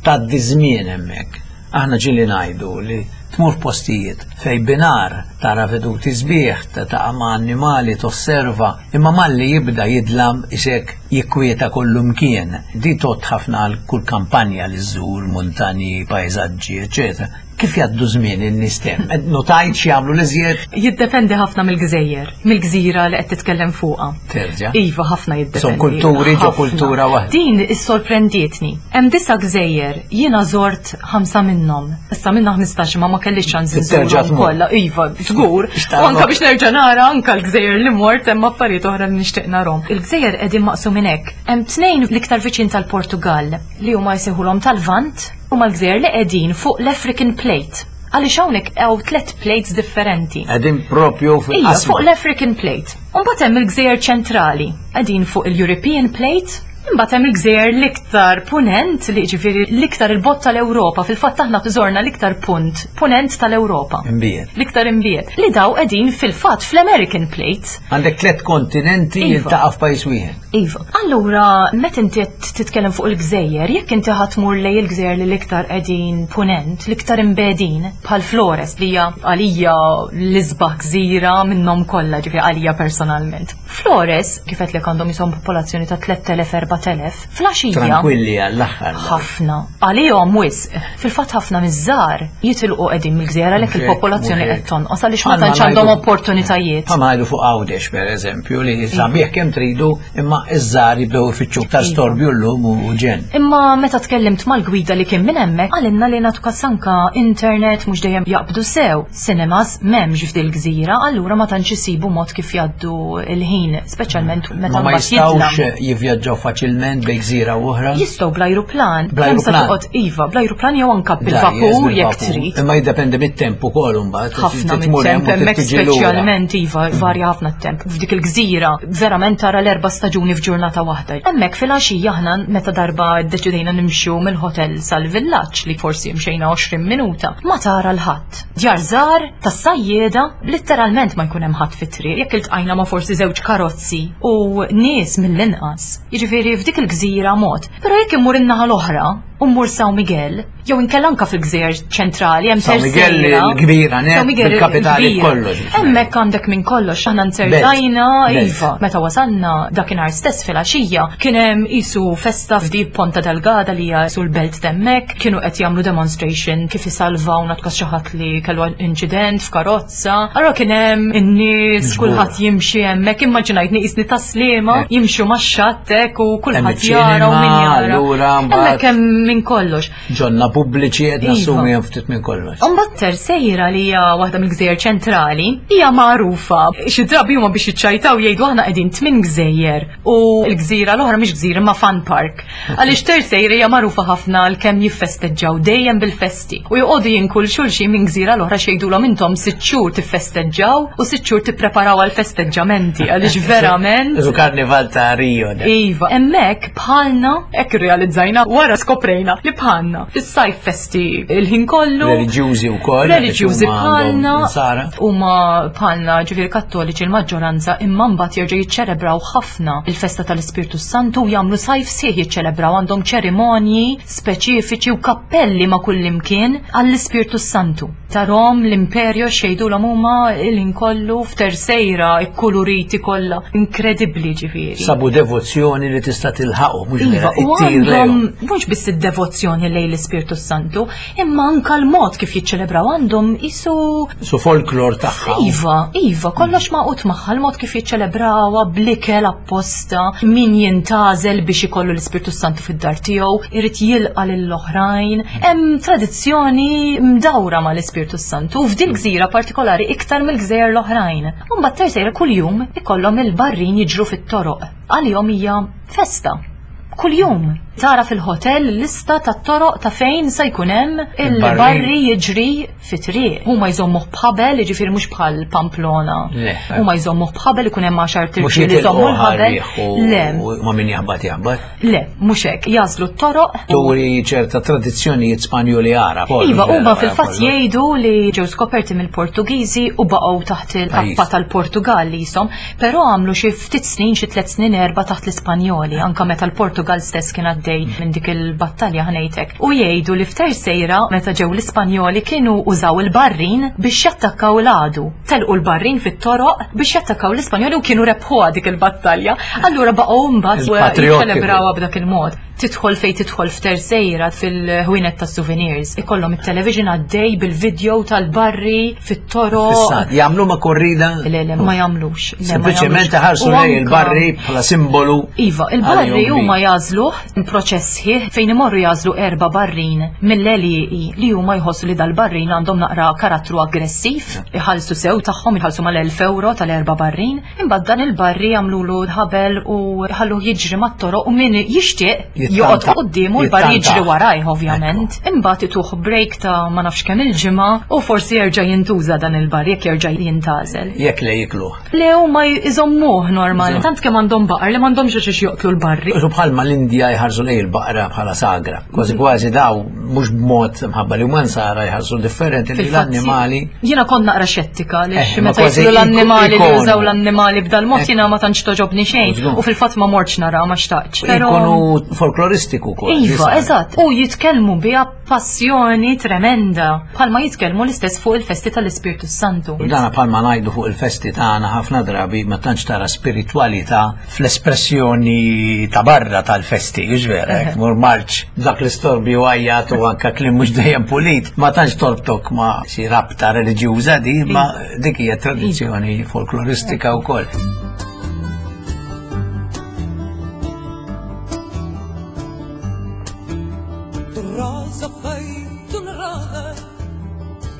B: tgħaddi żmien hemmhekk. Aħna ġieli ngħidu li tmur postijiet fej binhar tara veduti sbieħ, ta' ma' annimali, tosserva, imma malli jibda jidlam isek jikwieta kollu mkien. Di tgħodd ħafna għal kull kampanja li żżur, muntanji, pajzaġġi, eċetera. Kif jgħaddu żmien in-nies hemm? Notajt x'jagħmlu l-iżjed?
E: Jiddependi ħafna mill-gżejjer, mill-gżira li qed titkellem fuqha.
B: Terġa'.
E: Iva, ħafna jiddependi.
B: Son kulturi ġo
E: Ħafna.
B: kultura waħda.
E: Din issorprendietni. Hemm disa gżejjer, jiena żort ħamsa minnhom. Issa minna ħmistax ma ma kellix ċans
B: Terġa'
E: inżurhom
B: tmur.
E: kollha. Iva, żgur.
B: Xtaqgħu.
E: U anka biex nerġa' nara anka l-gżejjer li mort hemm affarijiet oħra li nixtieq narhom. Il-gżejjer qegħdin maqsumin hekk. Hemm tnejn l-iktar viċin tal-Portugal li huma jsejħulhom tal-Vant, huma l-gżejjer li qegħdin fuq l-African Plate. Għaliex hawnhekk hawn tliet plates differenti.
B: Qegħdin propju
E: Ija,
B: fil-qasma.
E: fuq l-African Plate. Umbagħad hemm il-gżejjer ċentrali, qegħdin fuq il-European Plate. Imbagħad hemm il-gżejjer l-iktar punent li ġifieri l-iktar il-bogħod tal-Ewropa, fil-fatt aħna żorna l-iktar punt punent tal-Ewropa.
B: Imbiet.
E: L-iktar imbiet. Li daw qegħdin fil-fatt fl-American Plate.
B: Għandek tliet kontinenti
E: Iva.
B: jiltaqa' f'pajjiż wieħed.
E: Iva. Allura, meta inti qed titkellem fuq il-gżejjer, jekk inti ħa tmur lejn il-gżejjer li l-iktar qegħdin punent, l-iktar imbegħdin, bħal Flores li hija għalija l-isbaħ gżira minnhom kollha, ġifieri għalija personalment. Flores, kif qed lek għandhom jisom popolazzjoni ta' tliet elef erbat elef, filgħaxija
B: Tranquilli għall-aħħar.
E: Ħafna. Għalihom wisq. Fil-fatt ħafna miż-żgħar jitilqu qegħdin mill-gżira għalhekk
B: Mhux hekk,
E: il-popolazzjoni
B: mhux
E: qed
B: hekk.
E: tonqos għaliex ma
B: Bħalma
E: tantx għandhom
B: ngħidu-
E: opportunitajiet.
B: Bħalma ngħidu fuq Għawdex per eżempju li sabiħ kemm tridu imma iż-żgħar jibdew ifittxu ta'
E: Iva.
B: storbju llum u ġen.
E: Imma meta tkellimt mal-gwida li kien minn hemmhekk, qalilna li nagħtu kas anka internet mhux dejjem jaqbdu sew. Cinemas m'hemmx f'dil gżira, allura ma tantx isibu mod kif jgħaddu il-ħin, speċjalment meta
B: Ma ma
E: mbagħad jidlam.
B: jistgħux jivvjaġġaw faċilment bejn gżira u oħra.
E: Jistgħu bl-ajruplan,
B: Bl-ajruplan.
E: kemm sa toqgħod iva, bl-ajruplan jew anka bil-vapur jekk trid.
B: Imma jiddependi mit-temp ukoll imbagħad.
E: Ħafna
B: Tmur hemm
E: mit-temp
B: u
E: hemmhekk
B: tiġi lura.
E: speċjalment iva varja ħafna t-temp. F'dik il-gżira verament tara l-erba' staġuni f'ġurnata waħda. Hemmhekk filgħaxija aħna meta darba ddeċidejna nimxu mill-hotel sal-villaġġ li forsi mxejna għoxrin minuta, ma tara 'l ħadd. Djar żgħar tas-sajjieda letteralment ma jkun hemm ħadd fit-triq jekk iltqajna ma' forsi żewġ karozzi u nies mill-inqas. Jiġifieri f'dik il-gżira mod. Però jekk immur in-naħa l-oħra u mmur São Miguel, jew inkella anka fil-gżejjer ċentrali hemm
B: São Miguel
E: Terceira.
B: il-kbira, net,
E: São Miguel
B: bil-kapitali
E: il-kbira.
B: kollox.
E: Hemmhekk għandek minn kollox, aħna nzertajna,
B: Belt.
E: iva, meta wasalna dakinhar stess filgħaxija, kien hemm isu festa f'di Ponta Delgada li hija sul belt t'hemmhekk, kienu qed jagħmlu demonstration kif isalvaw natkas xi ħadd li kellu inċident f'karozza. Allura kien hemm in-nies
B: Miġbura.
E: kulħadd jimxi hemmhekk, immaġinajtni qisni Tas-Sliema,
B: Eh.
E: jimxu max-xatt hekk u
B: Hemm
E: kulħadd jara u min
B: iċ-ċinema,
E: jara.
B: allura mbagħad-
E: Hemmhekk hemm minn kollox.
B: Ġonna pubbliċi qed
E: Iva.
B: nassumi hemm ftit minn kollox.
E: Imbagħad Terceira li hija waħda mill-gżejjer ċentrali hija magħrufa. Xi drabi huma biex jiċċajtaw jgħidu aħna qegħdin tmien gżejjer u l-gżira l-oħra mhix gżira ma fun park. Għaliex Terceira hija magħrufa ħafna għal kemm jiffesteġġaw dejjem bil-festi. U joqogħdu jinkul xulxin minn gżira l-oħra xejdulhom intom sitt xhur tiffesteġġaw u sitt xhur tippreparaw għal festeġġamenti għaliex verament
B: Isu karnival ta' Rio. da.
E: Iva, hemmhekk bħalna, hekk irrealizzajna, wara skoprejna li bħalna. Fis-sajf festi il-ħin kollu.
B: Reliġjużi wkoll.
E: Reliġjużi
B: għaliex huma għandhom
E: bħalna.
B: Insara.
E: Huma bħalna ġifieri kattoliċi l-maġġoranza imma mbagħad jerġgħu jiċċelebraw ħafna il-festa tal-Ispirtu Santu u jagħmlu sajf sieħ jiċċelebraw, għandhom ċerimonji speċifiċi u kappelli ma' kull imkien għall-Ispirtu Santu. Tarahom l-imperjo xejdu l huma il-ħin kollu f'Terceira ikkuluriti kollha. Inkredibbli ġifieri.
B: Sabu devozzjoni li tista' tilħaqu mhux
E: Iva,
B: vera
E: u
B: ittir
E: għandhom
B: lejhom.
E: mhux biss id-devozzjoni lejn l-Ispirtu Santu, imma anka l-mod kif jiċċelebraw għandhom isu
B: Su folklor tagħha.
E: Iva, iva, kollox magħqud magħha, l-mod kif jiċċelebrawha blikel apposta, min jintgħażel biex ikollu l-Ispirtu Santu fid-dar tiegħu, irid jilqa' lill-oħrajn. Hemm tradizzjoni mdawra mal-Ispirtu Santu u f'dil gżira partikolari iktar mill-gżejjer l-oħrajn. U mbagħad Terceira kuljum ikollhom il-barrin jiġru fit-toroq. Għalihom hija festa. Kuljum tara fil-hotel lista ta' toroq ta' fejn se jkun hemm il-barri jiġri fit-triq. Huma jżommuh b'ħabel, jiġifieri mhux bħal Pamplona.
B: Le.
E: Huma jżommuh b'ħabel, ikun hemm għaxar
B: Mhux
E: tirġiel li jżommu
B: jitilqu
E: l-ħabel.
B: ħarriħ u
E: Le,
B: u ma min jaħbat jaħbat.
E: le, mhux hekk, jażlu t-toroq.
B: Turi ċerta tradizzjonijiet Spanjoli Għarab.
E: Iva, huma fil-fatt jgħidu li ġew skoperti mill-Portugiżi u baqgħu taħt il-kappa
B: Pajjiż.
E: tal-Portugal li jisom, però għamlu xi ftit snin, xi tliet snin erba' taħt l-Ispanjoli, anka meta l-Portugal stess kien għaddej minn dik il-battalja ħanejtek. U jgħidu li f'Terceira meta ġew l-Ispanjoli kienu użaw il-barrin biex jattakkaw l-għadu. Telqu l-barrin fit-toroq biex jattakkaw l-Ispanjoli u kienu rebħuha dik il-battalja. Allura baqgħu mbagħad
B: Il-patriottiku.
E: jiċċelebrawha b'dak il-mod. Tidħol fej tidħol f'Terceira fil-ħwienet ta' souvenirs. Ikollhom it-television għaddej bil-video tal-barri fit-toroq.
B: Fissat, jagħmlu ma korrida.
E: Le, le, ma jagħmlux. Le, ma
B: Sempliċement
E: jagħmlux.
B: ħarsu
E: U
B: lej
E: anka-
B: il-barri bħala simbolu.
E: Iva, il-barri
B: għalihom
E: huma
B: bi.
E: jagħżluh proċess ħieħ fejn imorru jagħżlu erba' barrin mill-għelieqi li huma jħossu li dal-barrin għandhom naqra karattru aggressiv, iħallsu sew tagħhom, iħallsu mal-elf euro tal-erba' barrin, imbagħad dan il-barri jagħmlulu ħabel u ħalluh jiġri mat-toroq u min jixtieq Joqgħod quddiemu l-bar jiġri warajh ovvjament. Imbagħad ituh break ta' ma nafx kemm il-ġimgħa u forsi jerġa' jintuża dan il-bar jekk jerġa' jintgħażel.
B: Jekk le jikluh.
E: Le huma jżommuh normali, tant kemm għandhom baqar li m'għandhomx għax joqtlu l-barri.
B: U bħalma l-Indja jħarsu lejn il-baqra bħala sagra. Kważi kważi daw mhux b'mod mħabba li huma nsara jħarsu differenti li l-annimali.
E: Jiena kont naqra xettika għaliex meta jkunu l-annimali li jużaw l-annimali b'dal-mod jiena ma tantx toġobni xejn u fil-fatt ma mortx nara ma xtaqtx.
B: Ikunu folkloristiku kol.
E: Iva, eżatt. U jitkellmu biha passjoni tremenda. Bħalma jitkellmu l-istess fuq il-festi tal-Ispirtu Santu.
B: U dana bħalma ngħidu fuq il-festi tagħna ħafna drabi ma tantx tara spiritwalità fl-espressjoni ta' barra tal-festi, hux vera, hekk mur marċ dak l-istorbi u għajjat u anka kliem mhux dejjem pulit, ma tantx torbtok ma' xi rabta reliġjuża di, ma dik hija tradizzjoni folkloristika wkoll.
C: Rosa feito na roda,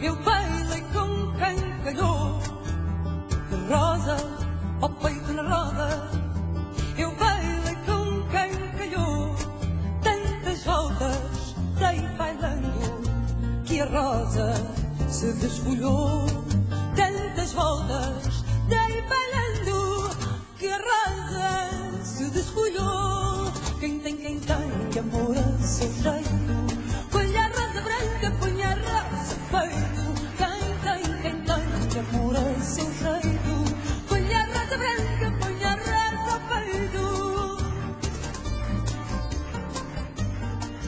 C: eu bailei com quem calhou. Rosa ao peito na roda, eu bailei com quem calhou. Tantas voltas dei bailando, que a rosa se desfolhou. Tantas voltas dei bailando, que a rosa se desfolhou. Quem tem, quem tem, que amor a seu jeito. Põe a rosa branca, põe a rosa peito. Quem tem, quem tem, que amor a seu jeito. Põe a rosa branca, põe a rosa peito.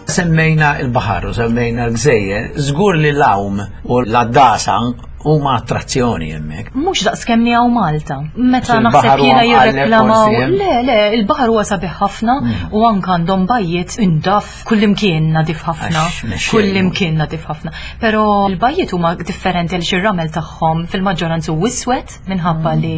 B: Semmejna il-baħar u semmejna l-gżejjer, żgur li l-għawm u l-għaddasa huma attrazzjoni hemmhekk.
E: Mhux daqs kemm hawn Malta. Meta naħseb jiena jirreklamaw. Le, le, il-baħar huwa sabiħ ħafna u anke għandhom bajjiet indaf kullimkien nadif ħafna. Kullimkien nadif ħafna. Però l-bajjiet huma differenti għaliex ir-ramel tagħhom fil-maġġoranza huwa iswed minħabba li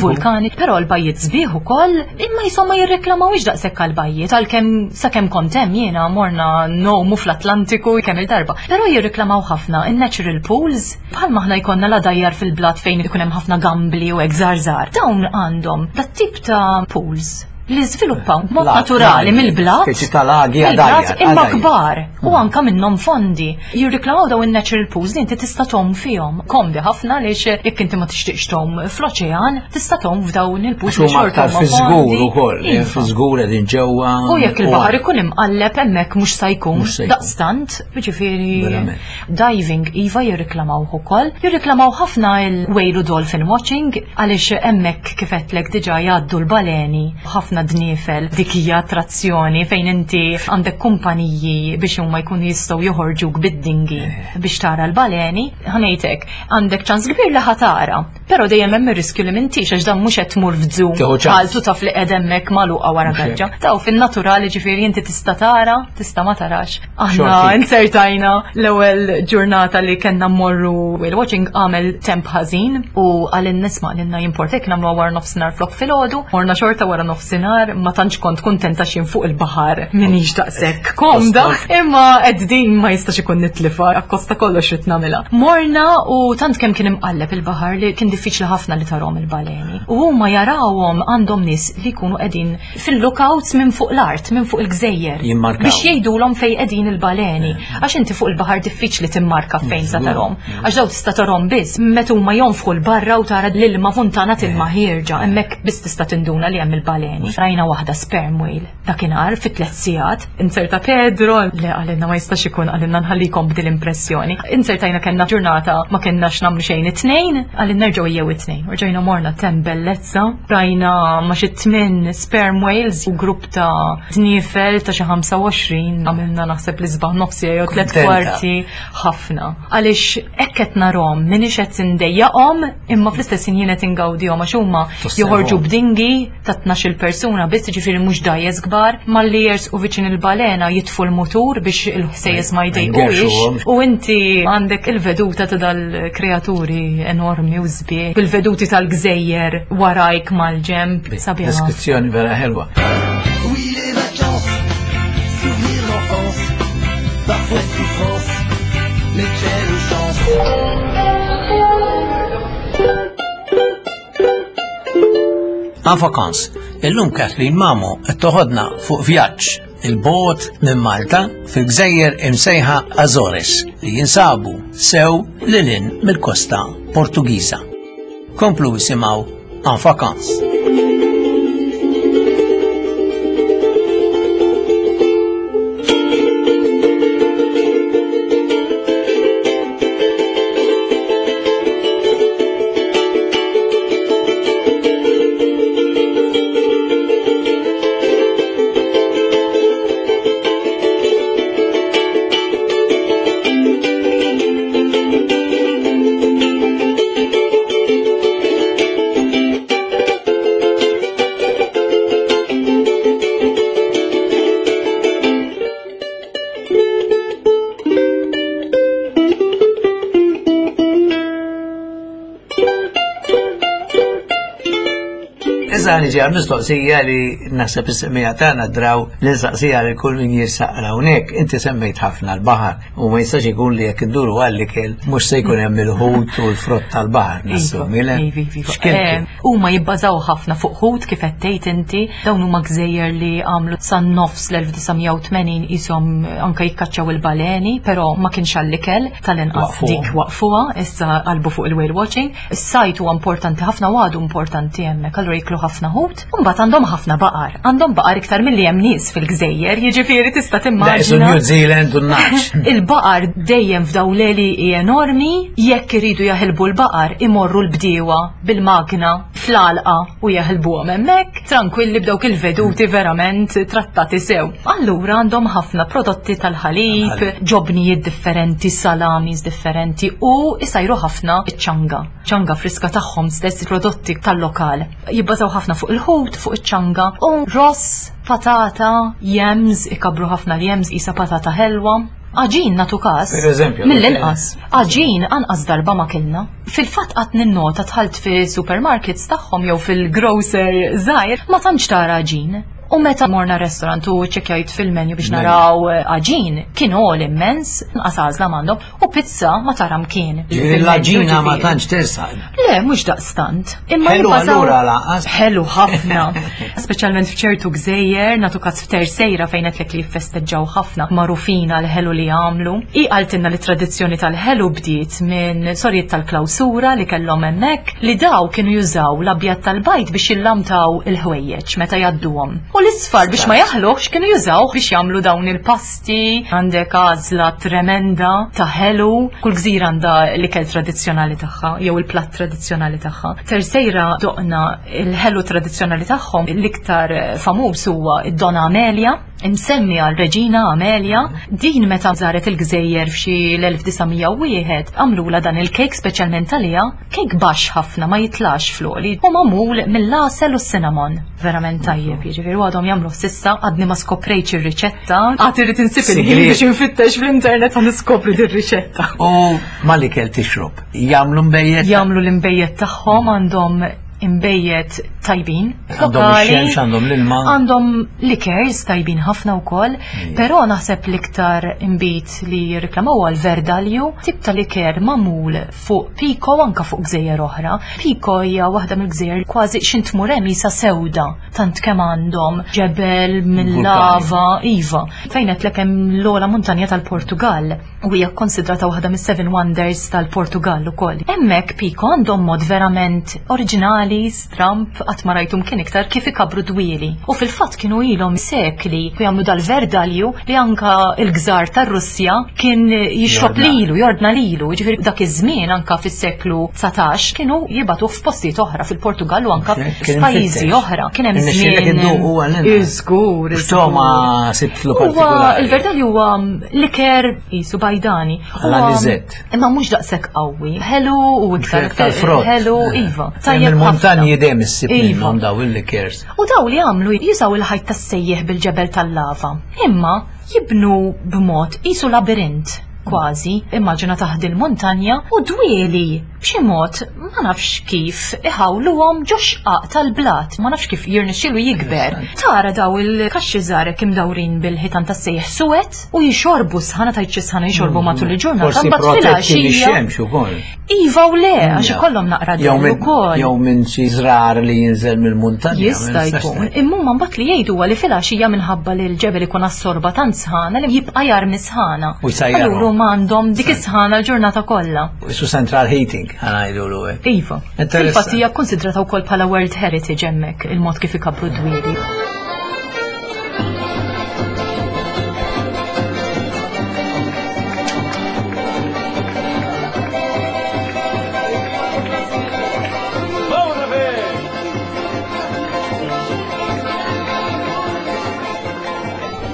E: vulkani. Però l-bajjiet sbieħ ukoll, imma insomma jirreklamawx daqshekk għall-bajjiet għalkemm sakemm kont hemm jiena morna nomu fl-Atlantiku kemm il-darba. Però jirreklamaw ħafna in-natural pools bħalma aħna jkollna la dajjar fil-blat fejn ikun hemm ħafna gambli u hekk żgħar. Dawn għandhom dat tip ta' pools li żviluppaw mod naturali mill-blat, mill-blat imma kbar u anka minnhom fondi. Jirriklamaw dawn in-natural pools li inti tista' tgħum fihom. Komdi ħafna għaliex jekk inti ma tixtieqx tgħum fl-oċean, tista' tgħum f'dawn il-pools
B: li xorta huma fiż-żgur ukoll, fiż-żgur qegħdin ġewwa.
E: U jekk il-baħar ikun imqalleb hemmhekk mhux se jkun daqstant, jiġifieri diving iva jirriklamaw ukoll. Jirriklamaw ħafna il-whale u dolphin watching għaliex hemmhekk kif qedlek diġà jgħaddu l-baleni ħafna dniefel, dik hija attrazzjoni fejn inti għandek kumpaniji biex huma jkunu jistgħu joħorġuk bid-dingi biex tara l-baleni. Ħanejtek, għandek ċans kbir li ħatara, però dejjem hemm ir-riskju li m'intix għax dan mhux qed tmur f'żoo bħal tu taf li qed hemmhekk magħluqa wara gaġġa. Taw fin-naturali ġifieri inti tista' tara, tista' ma tarax. Aħna insertajna l-ewwel ġurnata li kellna mmorru whale watching għamel temp ħażin u għalin nisma' lilna jimportek nagħmluha wara nofsinhar flok filgħodu, morna xorta wara nofsinhar. Ma tantx kont kuntenta x'in fuq il-baħar minix daqshekk komda, imma qed din ma jistax ikun nitlifa akkosta kollox rid nagħmilha. Morna u tant kemm kien imqalleb il-baħar li kien diffiċli ħafna li tarhom il-baleni. U huma jarawhom għandhom nies li jkunu qegħdin fil-lookouts minn fuq l-art, minn fuq il-gżejjer. Biex jgħidulhom fejn qegħdin il-baleni. Għax inti fuq il-baħar diffiċli timmarka fejn sa tarhom. Għax daw tista' tarhom biss meta huma jonfħu l-barra u tara l-ilma funtana tilma ħierġa, hemmhekk biss tista' tinduna li hemm il-baleni. Rajna waħda sperm whale dakinhar fi tliet sigħat. Inserta Pedro li għalinna ma jistax ikun għalinna nħallikom b'dil impressjoni. Insertajna kellna ġurnata ma kennax nagħmlu xejn it-tnejn, għalin nerġgħu jew it-tnejn. Rġajna morna tem bellezza, rajna ma xi tmien sperm whales u grupp ta' dniefel ta' xi ħamsa u għoxrin, għamilna naħseb li sbaħ nofsi jew tliet kwarti ħafna. Għaliex hekk qed narhom, minix qed indejjaqhom, imma fl-istess ħin jien qed ingawdihom għax huma joħorġu b'dingi ta' tnax-il persuna biss, ġifieri mhux dajjes kbar, malli jersqu viċin il-balena jitfu l-mutur biex il-ħsejjes ma jdejquhiex u inti għandek il-veduta ta' dal-kreaturi enormi u sbieħ, bil-veduti tal-gżejjer warajk mal-ġemp. Sabiħa.
B: Deskrizzjoni vera ħelwa.
G: Oui, les vacances, souvenirs d'enfance, parfois souffrance, mais quelle chance.
B: En vacances, illum Kathleen Mamo qed toħodna fuq vjaġġ il-bot minn Malta fil-gżejjer imsejħa Azores li jinsabu sew lilin mill-kosta Portugiża. Komplu isimgħu En Vacances. Issa niġi għal mistoqsija li naħseb is-semija tagħna draw li nsaqsija li kull min jirsaq hawnhekk. Inti semmejt ħafna l-baħar u ma jistax ikun li jekk induru għall-ikel mhux se jkun hemm il-ħut u l-frott tal-baħar nassumi, le?
E: Iva, iva, iva.
B: X'kiltu?
E: Eh, Huma jibbażaw ħafna fuq ħut kif qed tgħid inti, dawn huma gżejjer li għamlu san nofs l-elf disa' mija u tmenin qishom anke jikkaċċaw il-baleni, però ma kienx għall-ikel, tal-inqas
B: Waqfuha.
E: dik waqfuha, issa qalbu fuq il-whale watching. Is-sajt huwa importanti ħafna u għadu importanti hemmhekk, allura jiklu ħafna ħut, u mbagħad għandhom ħafna baqar. Għandhom baqar iktar milli hemm nies fil-gżejjer, jiġifieri tista'
B: Da, isu
E: timmaġina.
B: New Zealand u n-naċ.
E: Il-baqar dejjem f'daw l-għelieqi enormi, jekk iridu jaħilbu l-baqar imorru l-bdiewa bil-magna fl-għalqa u jaħilbuhom hemmhekk, tranquilli b'dawk il-veduti verament trattati sew. Allura għandhom ħafna prodotti tal-ħalib,
B: Tal-ħalib.
E: ġobnijiet differenti, salamis differenti u isajru ħafna iċ-ċanga. Ċanga friska tagħhom stess, prodotti tal-lokal. Jibbażaw ħafna fuq il-ħut, fuq iċ-ċanga u ross, patata, yams, ikabru ħafna l-yams, isa patata ħelwa. Għaġin natu kas.
B: Per eżempju,
E: Mill-inqas. Għaġin anqas darba ma kilna. Fil-fatt qatt ninnota dħalt fi supermarkets tagħhom jew fil-grocer żgħir ma tantx tara għaġin. U meta morna restaurant u ċekjajt fil-menu biex
B: Menu.
E: naraw għaġin, kien għol immens, nqas għażla m'għandhom, u pizza ma tara mkien.
B: Ġifieri l-għaġina ma tantx tersaq.
E: Le, mhux daqstant. Imma
B: Ħelu
E: jibbażaw-
B: allura lanqas.
E: Ħelu ħafna. Speċjalment f'ċertu gżejjer, natu kas f'Terceira fejn qed li jiffesteġġaw ħafna, magħrufin għal ħelu li għamlu. I qaltilna li tradizzjoni tal-ħelu bdiet minn sorijiet tal-klawsura li kellhom hemmhekk li daw kienu jużaw l-abjad tal-bajd biex jillamtaw il-ħwejjeġ meta jgħadduhom. U l-isfar biex ma jaħluħx kienu jużaw biex jagħmlu dawn il-pasti. Għandek għażla tremenda ta' ħelu. Kull gżira għandha l-ikel tradizzjonali tagħha jew il-platt tradizzjonali tagħha. Terceira doqna il-ħelu tradizzjonali tagħhom, l-iktar famuż huwa id-Donna Amelia, imsemmi għal Reġina Amelia. Din meta żaret il-gżejjer f'xi l-elf disa' mija u wieħed, għamlula dan il-kejk speċjalment għaliha, kejk baxx ħafna ma jitlax fl-għoli u magħmul mill-għasel u s-cinnamon. Verament tajjeb, jiġifieri għadhom jagħmlu s'issa, għadni ma skoprejtx ir-riċetta, għad irrid insib il-ħin
B: Sigriet.
E: biex infittex fl-internet għan niskopri dir-riċetta.
B: U mal-ikel tixrob, jagħmlu mbejjed?
E: Jagħmlu l-imbejjed tagħhom, għandhom imbejjed tajbin,
B: Għandhom
E: lokali.
B: ix-xemx, għandhom l-ilma.
E: Għandhom likers tajbin ħafna wkoll, però naħseb l-iktar imbit li jirriklamaw għal Verdalju, tip ta' liker magħmul fuq Pico anka fuq gżejjer oħra. Pico hija waħda mill-gżejjer kważi x'int tmur hemm isa sewda, tant kemm għandhom ġebel mill-lava, iva. Fejn qed lek hemm l-ogħla muntanja tal-Portugal u hija konsidrata waħda mis-Seven Wonders tal-Portugal ukoll. Hemmhekk Pico għandhom mod verament oriġinali, stramp, qatt ma rajtum kien iktar kif ikabru dwieli. U fil-fatt kienu ilhom sekli u jagħmlu dal-verdalju li anka il-gżar tar-Russja kien jixrob
B: Jordna.
E: lilu, jordna lilu. Ġifieri dak iż-żmien anka fis-seklu dsatax kienu jibatuh f'postijiet oħra fil-Portugal u anka
B: Kien
E: f'pajjiżi
B: imfittex.
E: oħra. Kien hemm
B: Irnexxielek
E: żmien.
B: idduq huwa l-inqas.
E: Iżgur,
B: X'togħma sibtlu
E: Huwa
B: partikolari?
E: il-verdalju huwa liker qisu bajdani.
B: Għal
E: Huwa-
B: aniżett.
E: Imma mhux daqshekk qawwi. Ħelu u iktar
B: Tal-frott.
E: Ħelu, iva.
B: Hemm il-muntanji
E: ħafna.
B: dejjem issib
E: Iva.
B: minnhom daw il-likers.
E: U daw li għamlu jużaw il-ħajt tas-sejjeħ bil-ġebel tal-lava. Imma jibnu b'mod qisu labirint kważi, immaġina taħt il-montanja u dwieli B'xi mod ma nafx kif iħawluhom ġo xqaq tal-blat, ma nafx kif jirnexxielu jikber. Tara daw il-kaxxi żgħar imdawrin bil-ħitan tas-sejħ suwed u jixorbu sħana tajt xi sħana jixorbu matul il-ġurnata
B: Forsi
E: mbagħad
B: protetti
E: filgħaxija.
B: mix-xemx ukoll.
E: Iva u le, għax ikollhom naqra
B: Jew
E: dell
B: minn
E: ukoll.
B: jew minn xi żrar li jinżel mill-muntanja. ma
E: Jista'
B: nistax
E: jkun.
B: ngħid.
E: Imma huma mbagħad li jgħidu huwa li filgħaxija minħabba li l-ġebel ikun assorba tant sħana li jibqa' jarmi sħana.
B: U jsajjarhom.
E: Allura huma għandhom dik is-sħana l-ġurnata kollha.
B: Isu central heating, ħa ngħidu hekk.
E: Iva.
B: Interessant.
E: Fil-fatt hija kkonsidrata wkoll bħala World Heritage hemmhekk il-mod kif ikabbru d-dwieli.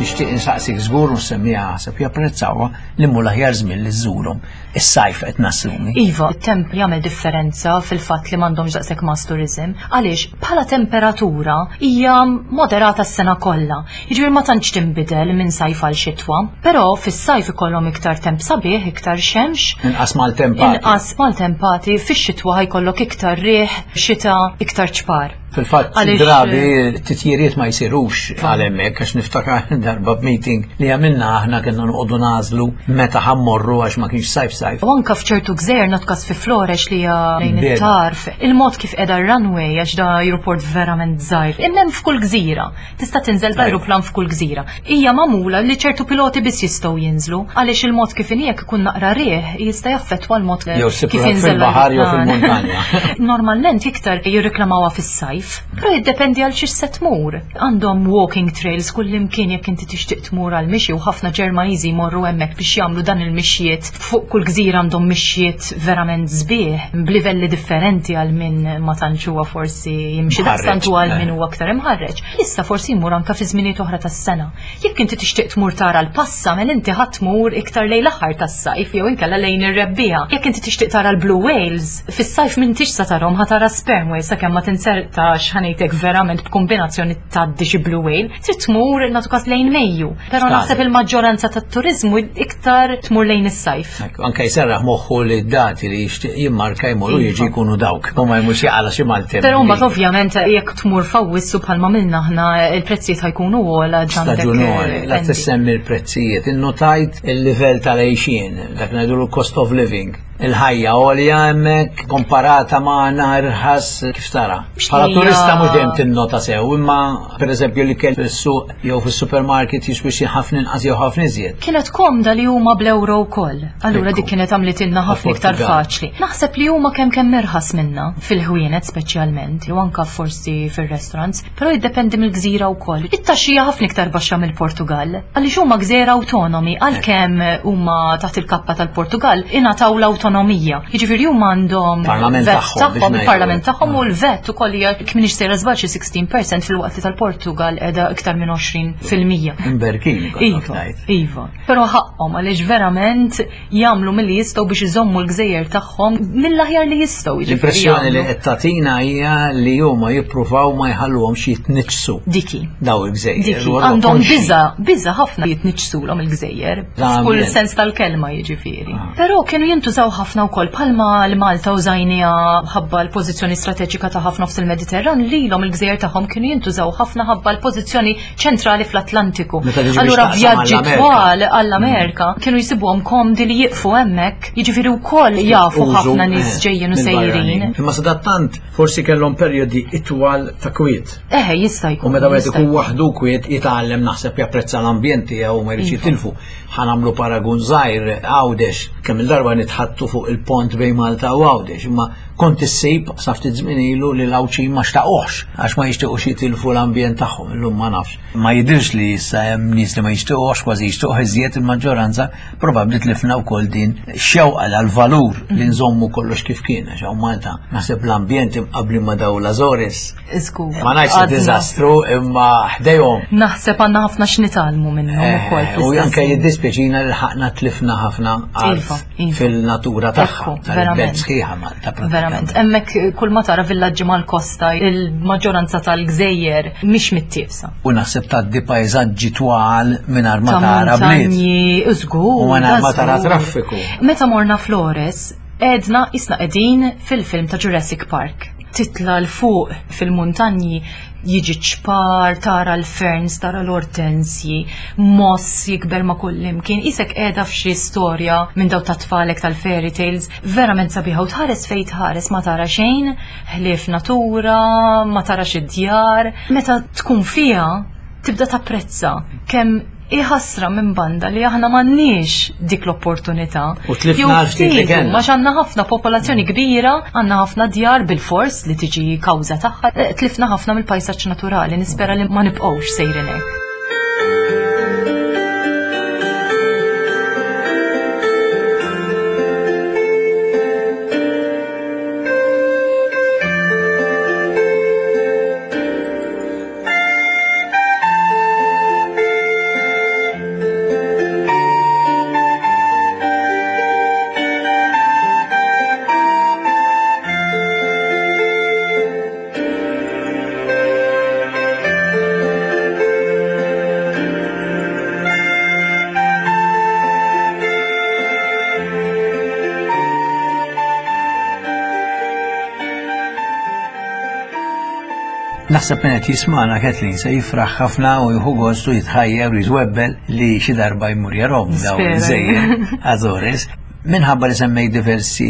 B: Nixtieq insaqsik żgur u nsemmija ħaseb japprezzawha li mhu l-aħjar żmien li żżurhom. Is-sajf qed nassumi.
E: Iva, it-temp jagħmel differenza fil-fatt li m'għandhomx daqshekk mass tourism, għaliex bħala temperatura hija moderata s-sena kollha. Jiġifieri ma tantx tinbidel minn sajf għal xitwa, però fis-sajf ikollhom iktar temp sabiħ, iktar xemx,
B: Inqas maltempati.
E: inqas maltempati, fix-xitwa ħa jkollok iktar riħ, xita, iktar ċpar.
B: Fil-fatt,
E: Għaliex-
B: drabi titjiriet ma jsirux għal hemmhekk għax niftakar darba b'meeting li għamilna aħna kienna noqogħdu nagħżlu meta ħa mmorru għax ma kienx sajf sajf.
E: U anka f'ċertu gżejjer notkas fi Flores li hija lejn
B: Beda.
E: it-tarf, il-mod kif qiegħda runway għax da aeroport verament żgħir. Imma hemm f'kull gżira. Tista' tinżel b'ajruplan f'kull gżira. Hija magħmula li ċertu piloti biss jistgħu jinżlu għaliex il-mod kif inhi jekk ikun naqra riħ jista' jaffettwa l-mod
B: Jew ssib
E: kif
B: ruħek
E: jinżel
B: fil-baħar jew
E: l-ajruplan.
B: fil-muntanja.
E: Normalment iktar jirreklamawha fis-sajf, però jiddependi għal xiex se tmur. Għandhom walking trails kull imkien jekk inti tixtieq tmur għal mixi u ħafna Ġermaniżi jmorru hemmhekk biex jagħmlu dan il-mixjiet. Fuq kull gżira għandhom mixjiet verament sbieħ b'livelli differenti għal min ma tantx huwa forsi jimxi
B: Mħarreġ,
E: daqstant u għal
B: eh.
E: min huwa aktar imħarreġ. Issa forsi jmur anka fi żminijiet oħra tas-sena. Jekk inti tixtieq tmur tara l-passa, mela inti ħadd tmur iktar lejn l-aħħar tas-sajf jew inkella lejn ir-rebbiegħa. Jekk inti tixtieq tara l-blue whales, fis-sajf m'intix sa tarhom ħa tara sperm whales sakemm ma tinsertax ħa ngħidlek verament b'kombinazzjoni tgħaddi xi blue whale, trid tmur nagħtu każ lejn Mejju. Però
B: Skadi.
E: naħseb il-maġġoranza tat-turiżmu iktar tmur lejn is-sajf.
B: Ekku, Anka jserraħ moħħu li d-dati li jixtieq jimmarka jmur u
E: Iva.
B: jiġi jkunu dawk. U ma jmux jaqala xi maltemp.
E: Però mbagħad ovvjament jekk tmur f'Awwissu bħalma minna aħna il-prezzijiet ħa jkunu ogħla għandek
B: Staġunali, la
E: eh,
B: tissemmi l-prezzijiet. Innotajt il-livell tal-għejxien, dak ngħidu l-cost of living. Il-ħajja għolja hemmhekk komparata ma' irħas kif tara. Bħala
E: Hija-
B: turista mhux dejjem tinnota sew, imma pereżempju li kell fis-suq jew fis-supermarket jiswi xi ħafna inqas jew ħafna iżjed.
E: Kienet komda li huma bl-euro wkoll. Allura
B: Ekku.
E: dik kienet għamlitilna ħafna iktar
B: Portugal.
E: faċli. Naħseb li huma kemm kemm irħas minna fil-ħwienet speċjalment, u anka forsi fir-restaurants, però jiddependi mill-gżira wkoll. It-taxxija ħafna iktar baxxa mill-Portugal. Għaliex huma gżira awtonomi, għalkemm huma taħt il-kappa tal-Portugal, ingħataw l-awtonomija. Jiġifieri huma għandhom
B: Parlament
E: VAT
B: tagħhom, biex
E: tagħhom,
B: ngħidu.
E: il-parlament tagħhom u l-VAT ukoll hija jekk m'iniex sejra żball xi sittax fil-mija filwaqt li tal-Portugal qiegħda iktar minn għoxrin fil-mija.
B: Imberkin, kollok
E: Iva,
B: ngħid.
E: iva. Però ħaqhom għaliex verament jagħmlu milli jistgħu biex iżommu l-gżejjer tagħhom mill-aħjar li jistgħu. Jiġifieri
B: L-impressjoni li
E: jagħmlu.
B: qed tagħtina hija li huma jippruvaw ma jħalluhomx jitniġġsu
E: Diki.
B: daw il-gżejjer.
E: Diki,
B: U allura
E: għandhom
B: konxji.
E: biża, biża ħafna jitniġġsulhom il-gżejjer.
B: L-ambjent.
E: F'kull sens tal-kelma jiġifieri.
B: Ah.
E: Però kienu jintużaw ħafna wkoll palma l-Malta użajnija ħabba l-pożizzjoni strateġika ta' ħafna f'nofs il-Mediterran, lilhom il-gżejjer tagħhom kienu jintużaw ħafna ħabba l-pożizzjoni ċentrali fl-Atlantiku.
B: Meta tiġi biex
E: Allura
B: taqsam
E: vjaġġi
B: għall-Amerika.
E: twal għall-Amerika kienu jsibuhom komdi li jiqfu hemmhekk, jiġifieri wkoll jafu
B: Użu,
E: ħafna nies
B: eh,
E: ġejjin u
B: mill-barranin.
E: sejrin.
B: Imma sadattant forsi kellhom perjodi itwal ta' kwiet.
E: Eħe, jista' jkun.
B: U meta wieħed
E: jista'
B: ikun
E: jkun.
B: waħdu kwiet jitgħallem naħseb japprezza l-ambjent tiegħu u ma jridx
E: Iva.
B: jitilfu. Ħa nagħmlu paragun żgħir Għawdex, kemm il-darba nitħattu fuq il-pont bejn Malta u Għawdex, imma kont issib sa ftit żmien ilu li l-Għawdxin ma xtaquhx għax ma jixtiequx jitilfu l-ambjent tagħhom, illum ma nafx. Ma jidirx li issa hemm nies li ma jixtiequhx, kważi jixtiequh iżjed il-maġġoranza, probabbli tlifna wkoll din xewqa għal-valur li nżommu kollox kif kien, għax hawn Malta naħseb l-ambjent imqabbli ma daw l-Azores.
E: Żgur.
B: Ma ngħidx
E: Għadna-
B: diżastru imma ħdejhom.
E: Naħseb għandna ħafna x'nitgħallmu minnhom ukoll.
B: Eh, U
E: fl-istess
B: anke
E: ħin.
B: jiddispjaċina li ħaqna tlifna ħafna art
E: Iva, iva.
B: fil-natura tagħha.
E: Ekku,
B: Tal-belt
E: verament.
B: sħiħa Malta
E: Verament,
B: pratikament.
E: hemmhekk kull ma tara villaġġi mal-kosta, il-maġġoranza tal-gżejjer mhix mittiefsa.
B: U naħseb tgħaddi pajżaġġi twal mingħajr ma
E: Ta'
B: tara bliet.
E: muntanji, żgur.
B: U mingħajr ma
E: da
B: tara
E: żgur.
B: traffiku.
E: Meta morna Flores, Edna isna qegħdin fil-film ta' Jurassic Park. Titla 'l fuq fil-muntanji jiġi ċpar, tara l-ferns, tara l-ortensji, moss jikber ma' kullimkien, isek qiegħda f'xi storja minn daw ta' tfalek tal-fairy tales, verament sabiħa u tħares fejn tħares ma tara xejn, ħlief natura, ma tara xi djar. Meta tkun fiha tibda tapprezza kemm iħasra minn banda li aħna m'għandniex dik l-opportunità.
B: U tlifna ftit li kellna.
E: Għax għandna ħafna popolazzjoni kbira, għandna ħafna djar bil-fors li tiġi kawża tagħha, eh, tlifna ħafna mill-pajsaġġ naturali, nispera li ma nibqgħux sejrin hekk.
B: Naħseb minn qed jismana Kathleen se jifraħ ħafna u jieħu gost u jitħajjar u jitwebbel li xi darba jmur jarahom dawn
E: Nispera.
B: il-gżejjer Azores. Minħabba li semmej diversi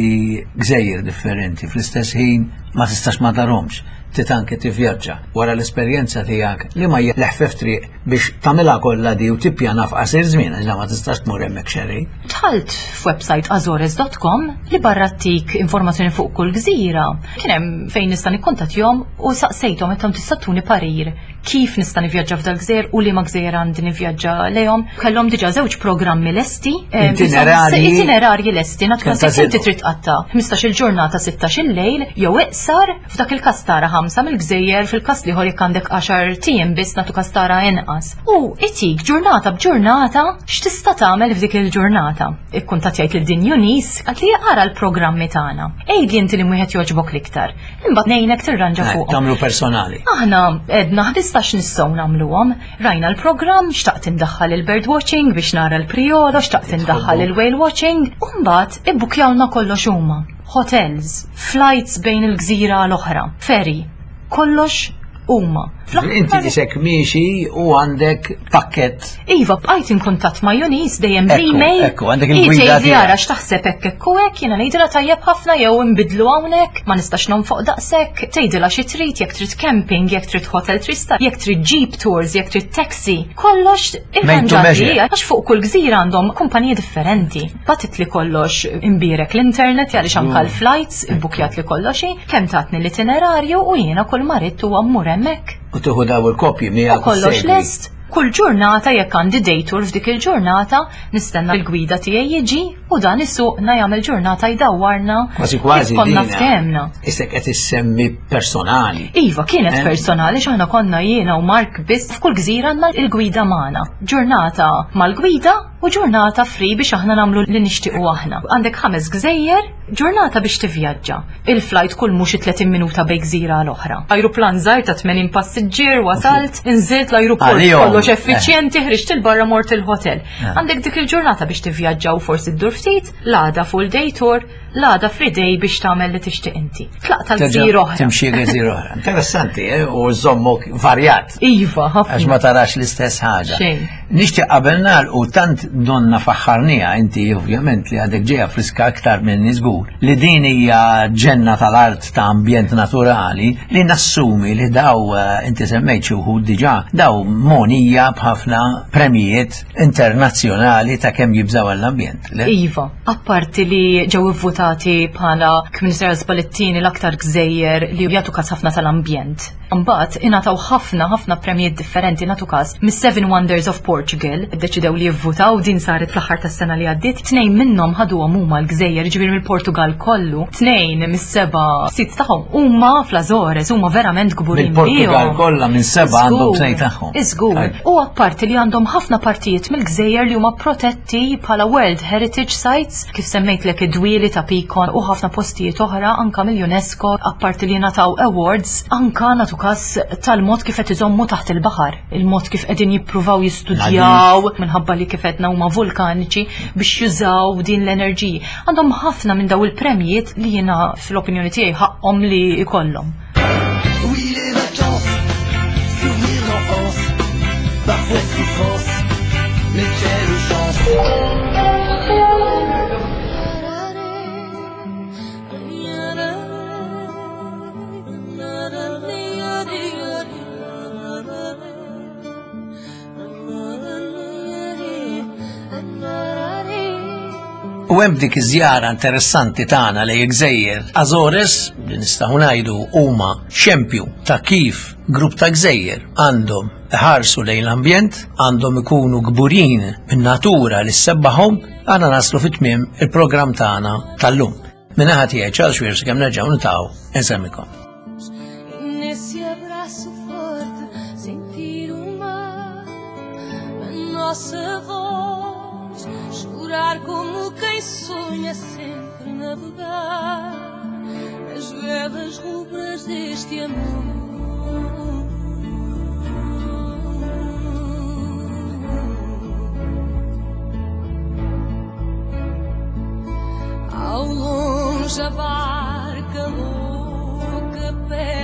B: gżejjer differenti fl-istess ħin ma tistax ma tarahomx, trid anke tivvjaġġa wara l-esperjenza tiegħek li ma hija l-eħfef triq biex tagħmilha kollha di u tippjana f'qasir żmien għax ma tistax tmur hemmhekk xerrej.
E: Dħalt f'website azores dot com li barra ttik informazzjoni fuq kull gżira. Kien hemm fejn nista' nikkontattjahom u saqsejthom qed tista' tuni parir kif nista' nivvjaġġa f'dal gżejjer u liema gżejjer għandi nivvjaġġa lejhom. Kellhom diġà żewġ programmi lesti. eh,
B: Itinerarji.
E: Itinerarji lesti, nagħtu
B: Kemm
E: każ jekk inti
B: tażilhom.
E: trid tqatta' ħmistax-il ġurnata, sittax-il lejl jew iqsar, f'dak il-każ tara ħamsa mill-gżejjer, fil-każ l-ieħor jekk għandek għaxart ijiem biss nagħtu każ tara inqas. U itik ġurnata b'ġurnata x'tista' tagħmel f'dik il-ġurnata. Ikkuntattjajt lil din Eunice, qaltli ara l-programmi tagħna. Għidli inti li wieħed jogħġbok l-iktar. Imbagħad ngħinek tirranġa
B: Eh,
E: fuqhom.
B: Tagħmlu personali.
E: Aħna għedna ħmistax nistgħu nagħmluhom. Rajna l-programm, xtaqt indaħħal il-bird watching biex nara l-priolo, xtaqt indaħħal il-whale watching, u mbagħad ibbukjawna kollox huma. Hotels, flights bejn il-gżira l-oħra, ferry, kollox huma.
B: Inti isek miexi u għandek pakket.
E: Iva, bqajt in kuntatt ma' Eunice dejjem
B: Ekku,
E: bl-email.
B: Ekku, għandek il-gwida
E: Hi tgħidli
B: tiegħek.
E: ara x'taħseb hekk hekk u hekk, jiena ngħidilha tajjeb ħafna jew nbidlu hawnhekk, ma nistax nonfoq daqshekk, tgħidilha xi trid, jekk trid camping, jekk trid hotel three star, jekk trid jeep tours, jekk trid taxi, kollox
B: Made to
E: irranġat
B: measure.
E: li għax fuq kull gżira għandhom kumpaniji differenti. Bagħtitli kollox imbierek l-internet għaliex anka l-flights, ibbukjat li kollox, kemm tatni l-itinerarju u jiena kull ma ridt huwa mmur hemmhekk.
B: U tieħu daw il-kopji
E: U
B: miegħek u
E: kollox
B: ssegwi.
E: lest. Kull ġurnata jekk għandi day tour f'dik il-ġurnata, nistenna l-gwida tiegħi jiġi u dan isuqna jagħmel ġurnata jdawwarna
B: Kważi kważi
E: kif konna
B: dina.
E: ftehemna.
B: Isek qed issemmi personali.
E: Iva, kienet
B: Eh?
E: personali x'aħna konna jiena u Mark biss f'kull gżira għandna il-gwida magħna. Ġurnata mal-gwida u ġurnata free biex aħna nagħmlu li nixtiequ aħna. Għandek ħames gżejjer, ġurnata biex tivvjaġġa. Il-flight kull mhux tletin minuta bejn gżira l oħra. Ajruplan żgħir ta' tmenin passiġġier, wasalt, inżilt l-ajruport
B: Għalihom.
E: kollox effiċjenti, ħriġt 'il barra mort il-hotel.
B: Eh.
E: Għandek dik il-ġurnata biex tivvjaġġa u forsi ddur ftit, l-għada full day tour, l-għada free day biex tagħmel li tixtieq inti. Tlaq tal-gżira oħra.
B: Timxi gżira oħra. Interessanti, eh? U żommok varjat.
E: Iva,
B: Għax
E: ħafna.
B: ma tarax l-istess ħaġa.
E: Xejn.
B: Nixtieq qabel nagħlqu tant donna faħħarnija inti ovvjament li għadek ġeja friska aktar minn żgur li din hija ġenna tal-art ta' ambjent naturali li nassumi li daw eh, inti semmejt xi wħud diġà daw monija b'ħafna premijiet internazzjonali ta' kemm jibżaw għall-ambjent. Le?
E: Iva, apparti li ġew ivvutati bħala Kminister Spallettini l-aktar gżejjer li jagħtu kas ħafna tal-ambjent. Mbagħad ingħataw ħafna ħafna premijiet differenti nagħtu kas mis-Seven Wonders of Portugal, iddeċidew li jivvutaw, din saret fl-aħħar tas-sena li għaddiet, tnejn minnhom ħaduhom huma l-gżejjer, ġifieri mill-Portugal kollu, tnejn mis-seba' sit tagħhom huma fl-Azores, huma verament kburin
B: Mill-Portugal
E: bihom.
B: kollha minn seba' għandhom
E: Żgur,
B: tnejn tagħhom.
E: Iżgur. U apparti li għandhom ħafna partijiet mill-gżejjer li huma protetti bħala World Heritage Sites, kif semmejtlek id-dwieli ta' Picon u ħafna postijiet oħra anka mill-UNESCO, apparti li ngħataw awards, anka nagħtu kas tal-mod kif qed iżommu taħt il-baħar, il-mod kif qegħdin jippruvaw jistudjaw Jistudjaw minħabba li kif għedna huma vulkaniċi biex jużaw din l-enerġija. Għandhom ħafna minn daw il-premjiet li jiena fl-opinjoni tiegħi ħaqhom li jkollhom.
G: Oui, les vacances, souvenirs d'enfance, parfois souffrance, mais quelle chance.
B: U hemm dik iż-żjara interessanti tagħna lejn gżejjer Azores, li nistgħu ngħidu huma xempju ta' kif grupp ta' gżejjer għandhom iħarsu lejn l-ambjent, għandhom ikunu kburin min-natura li ssebbaħhom, għandna naslu fit-tmiem il-programm tagħna tal-lum. Min-naħa tiegħi Charles Weir sakemm nerġgħu niltaqgħu insemmilkom.
C: Nesse abraço forte, sentir o mar, a nossa voz, chorar como quem sonha sempre navegar nas velas rubras deste amor. Ao longe a barca louca perde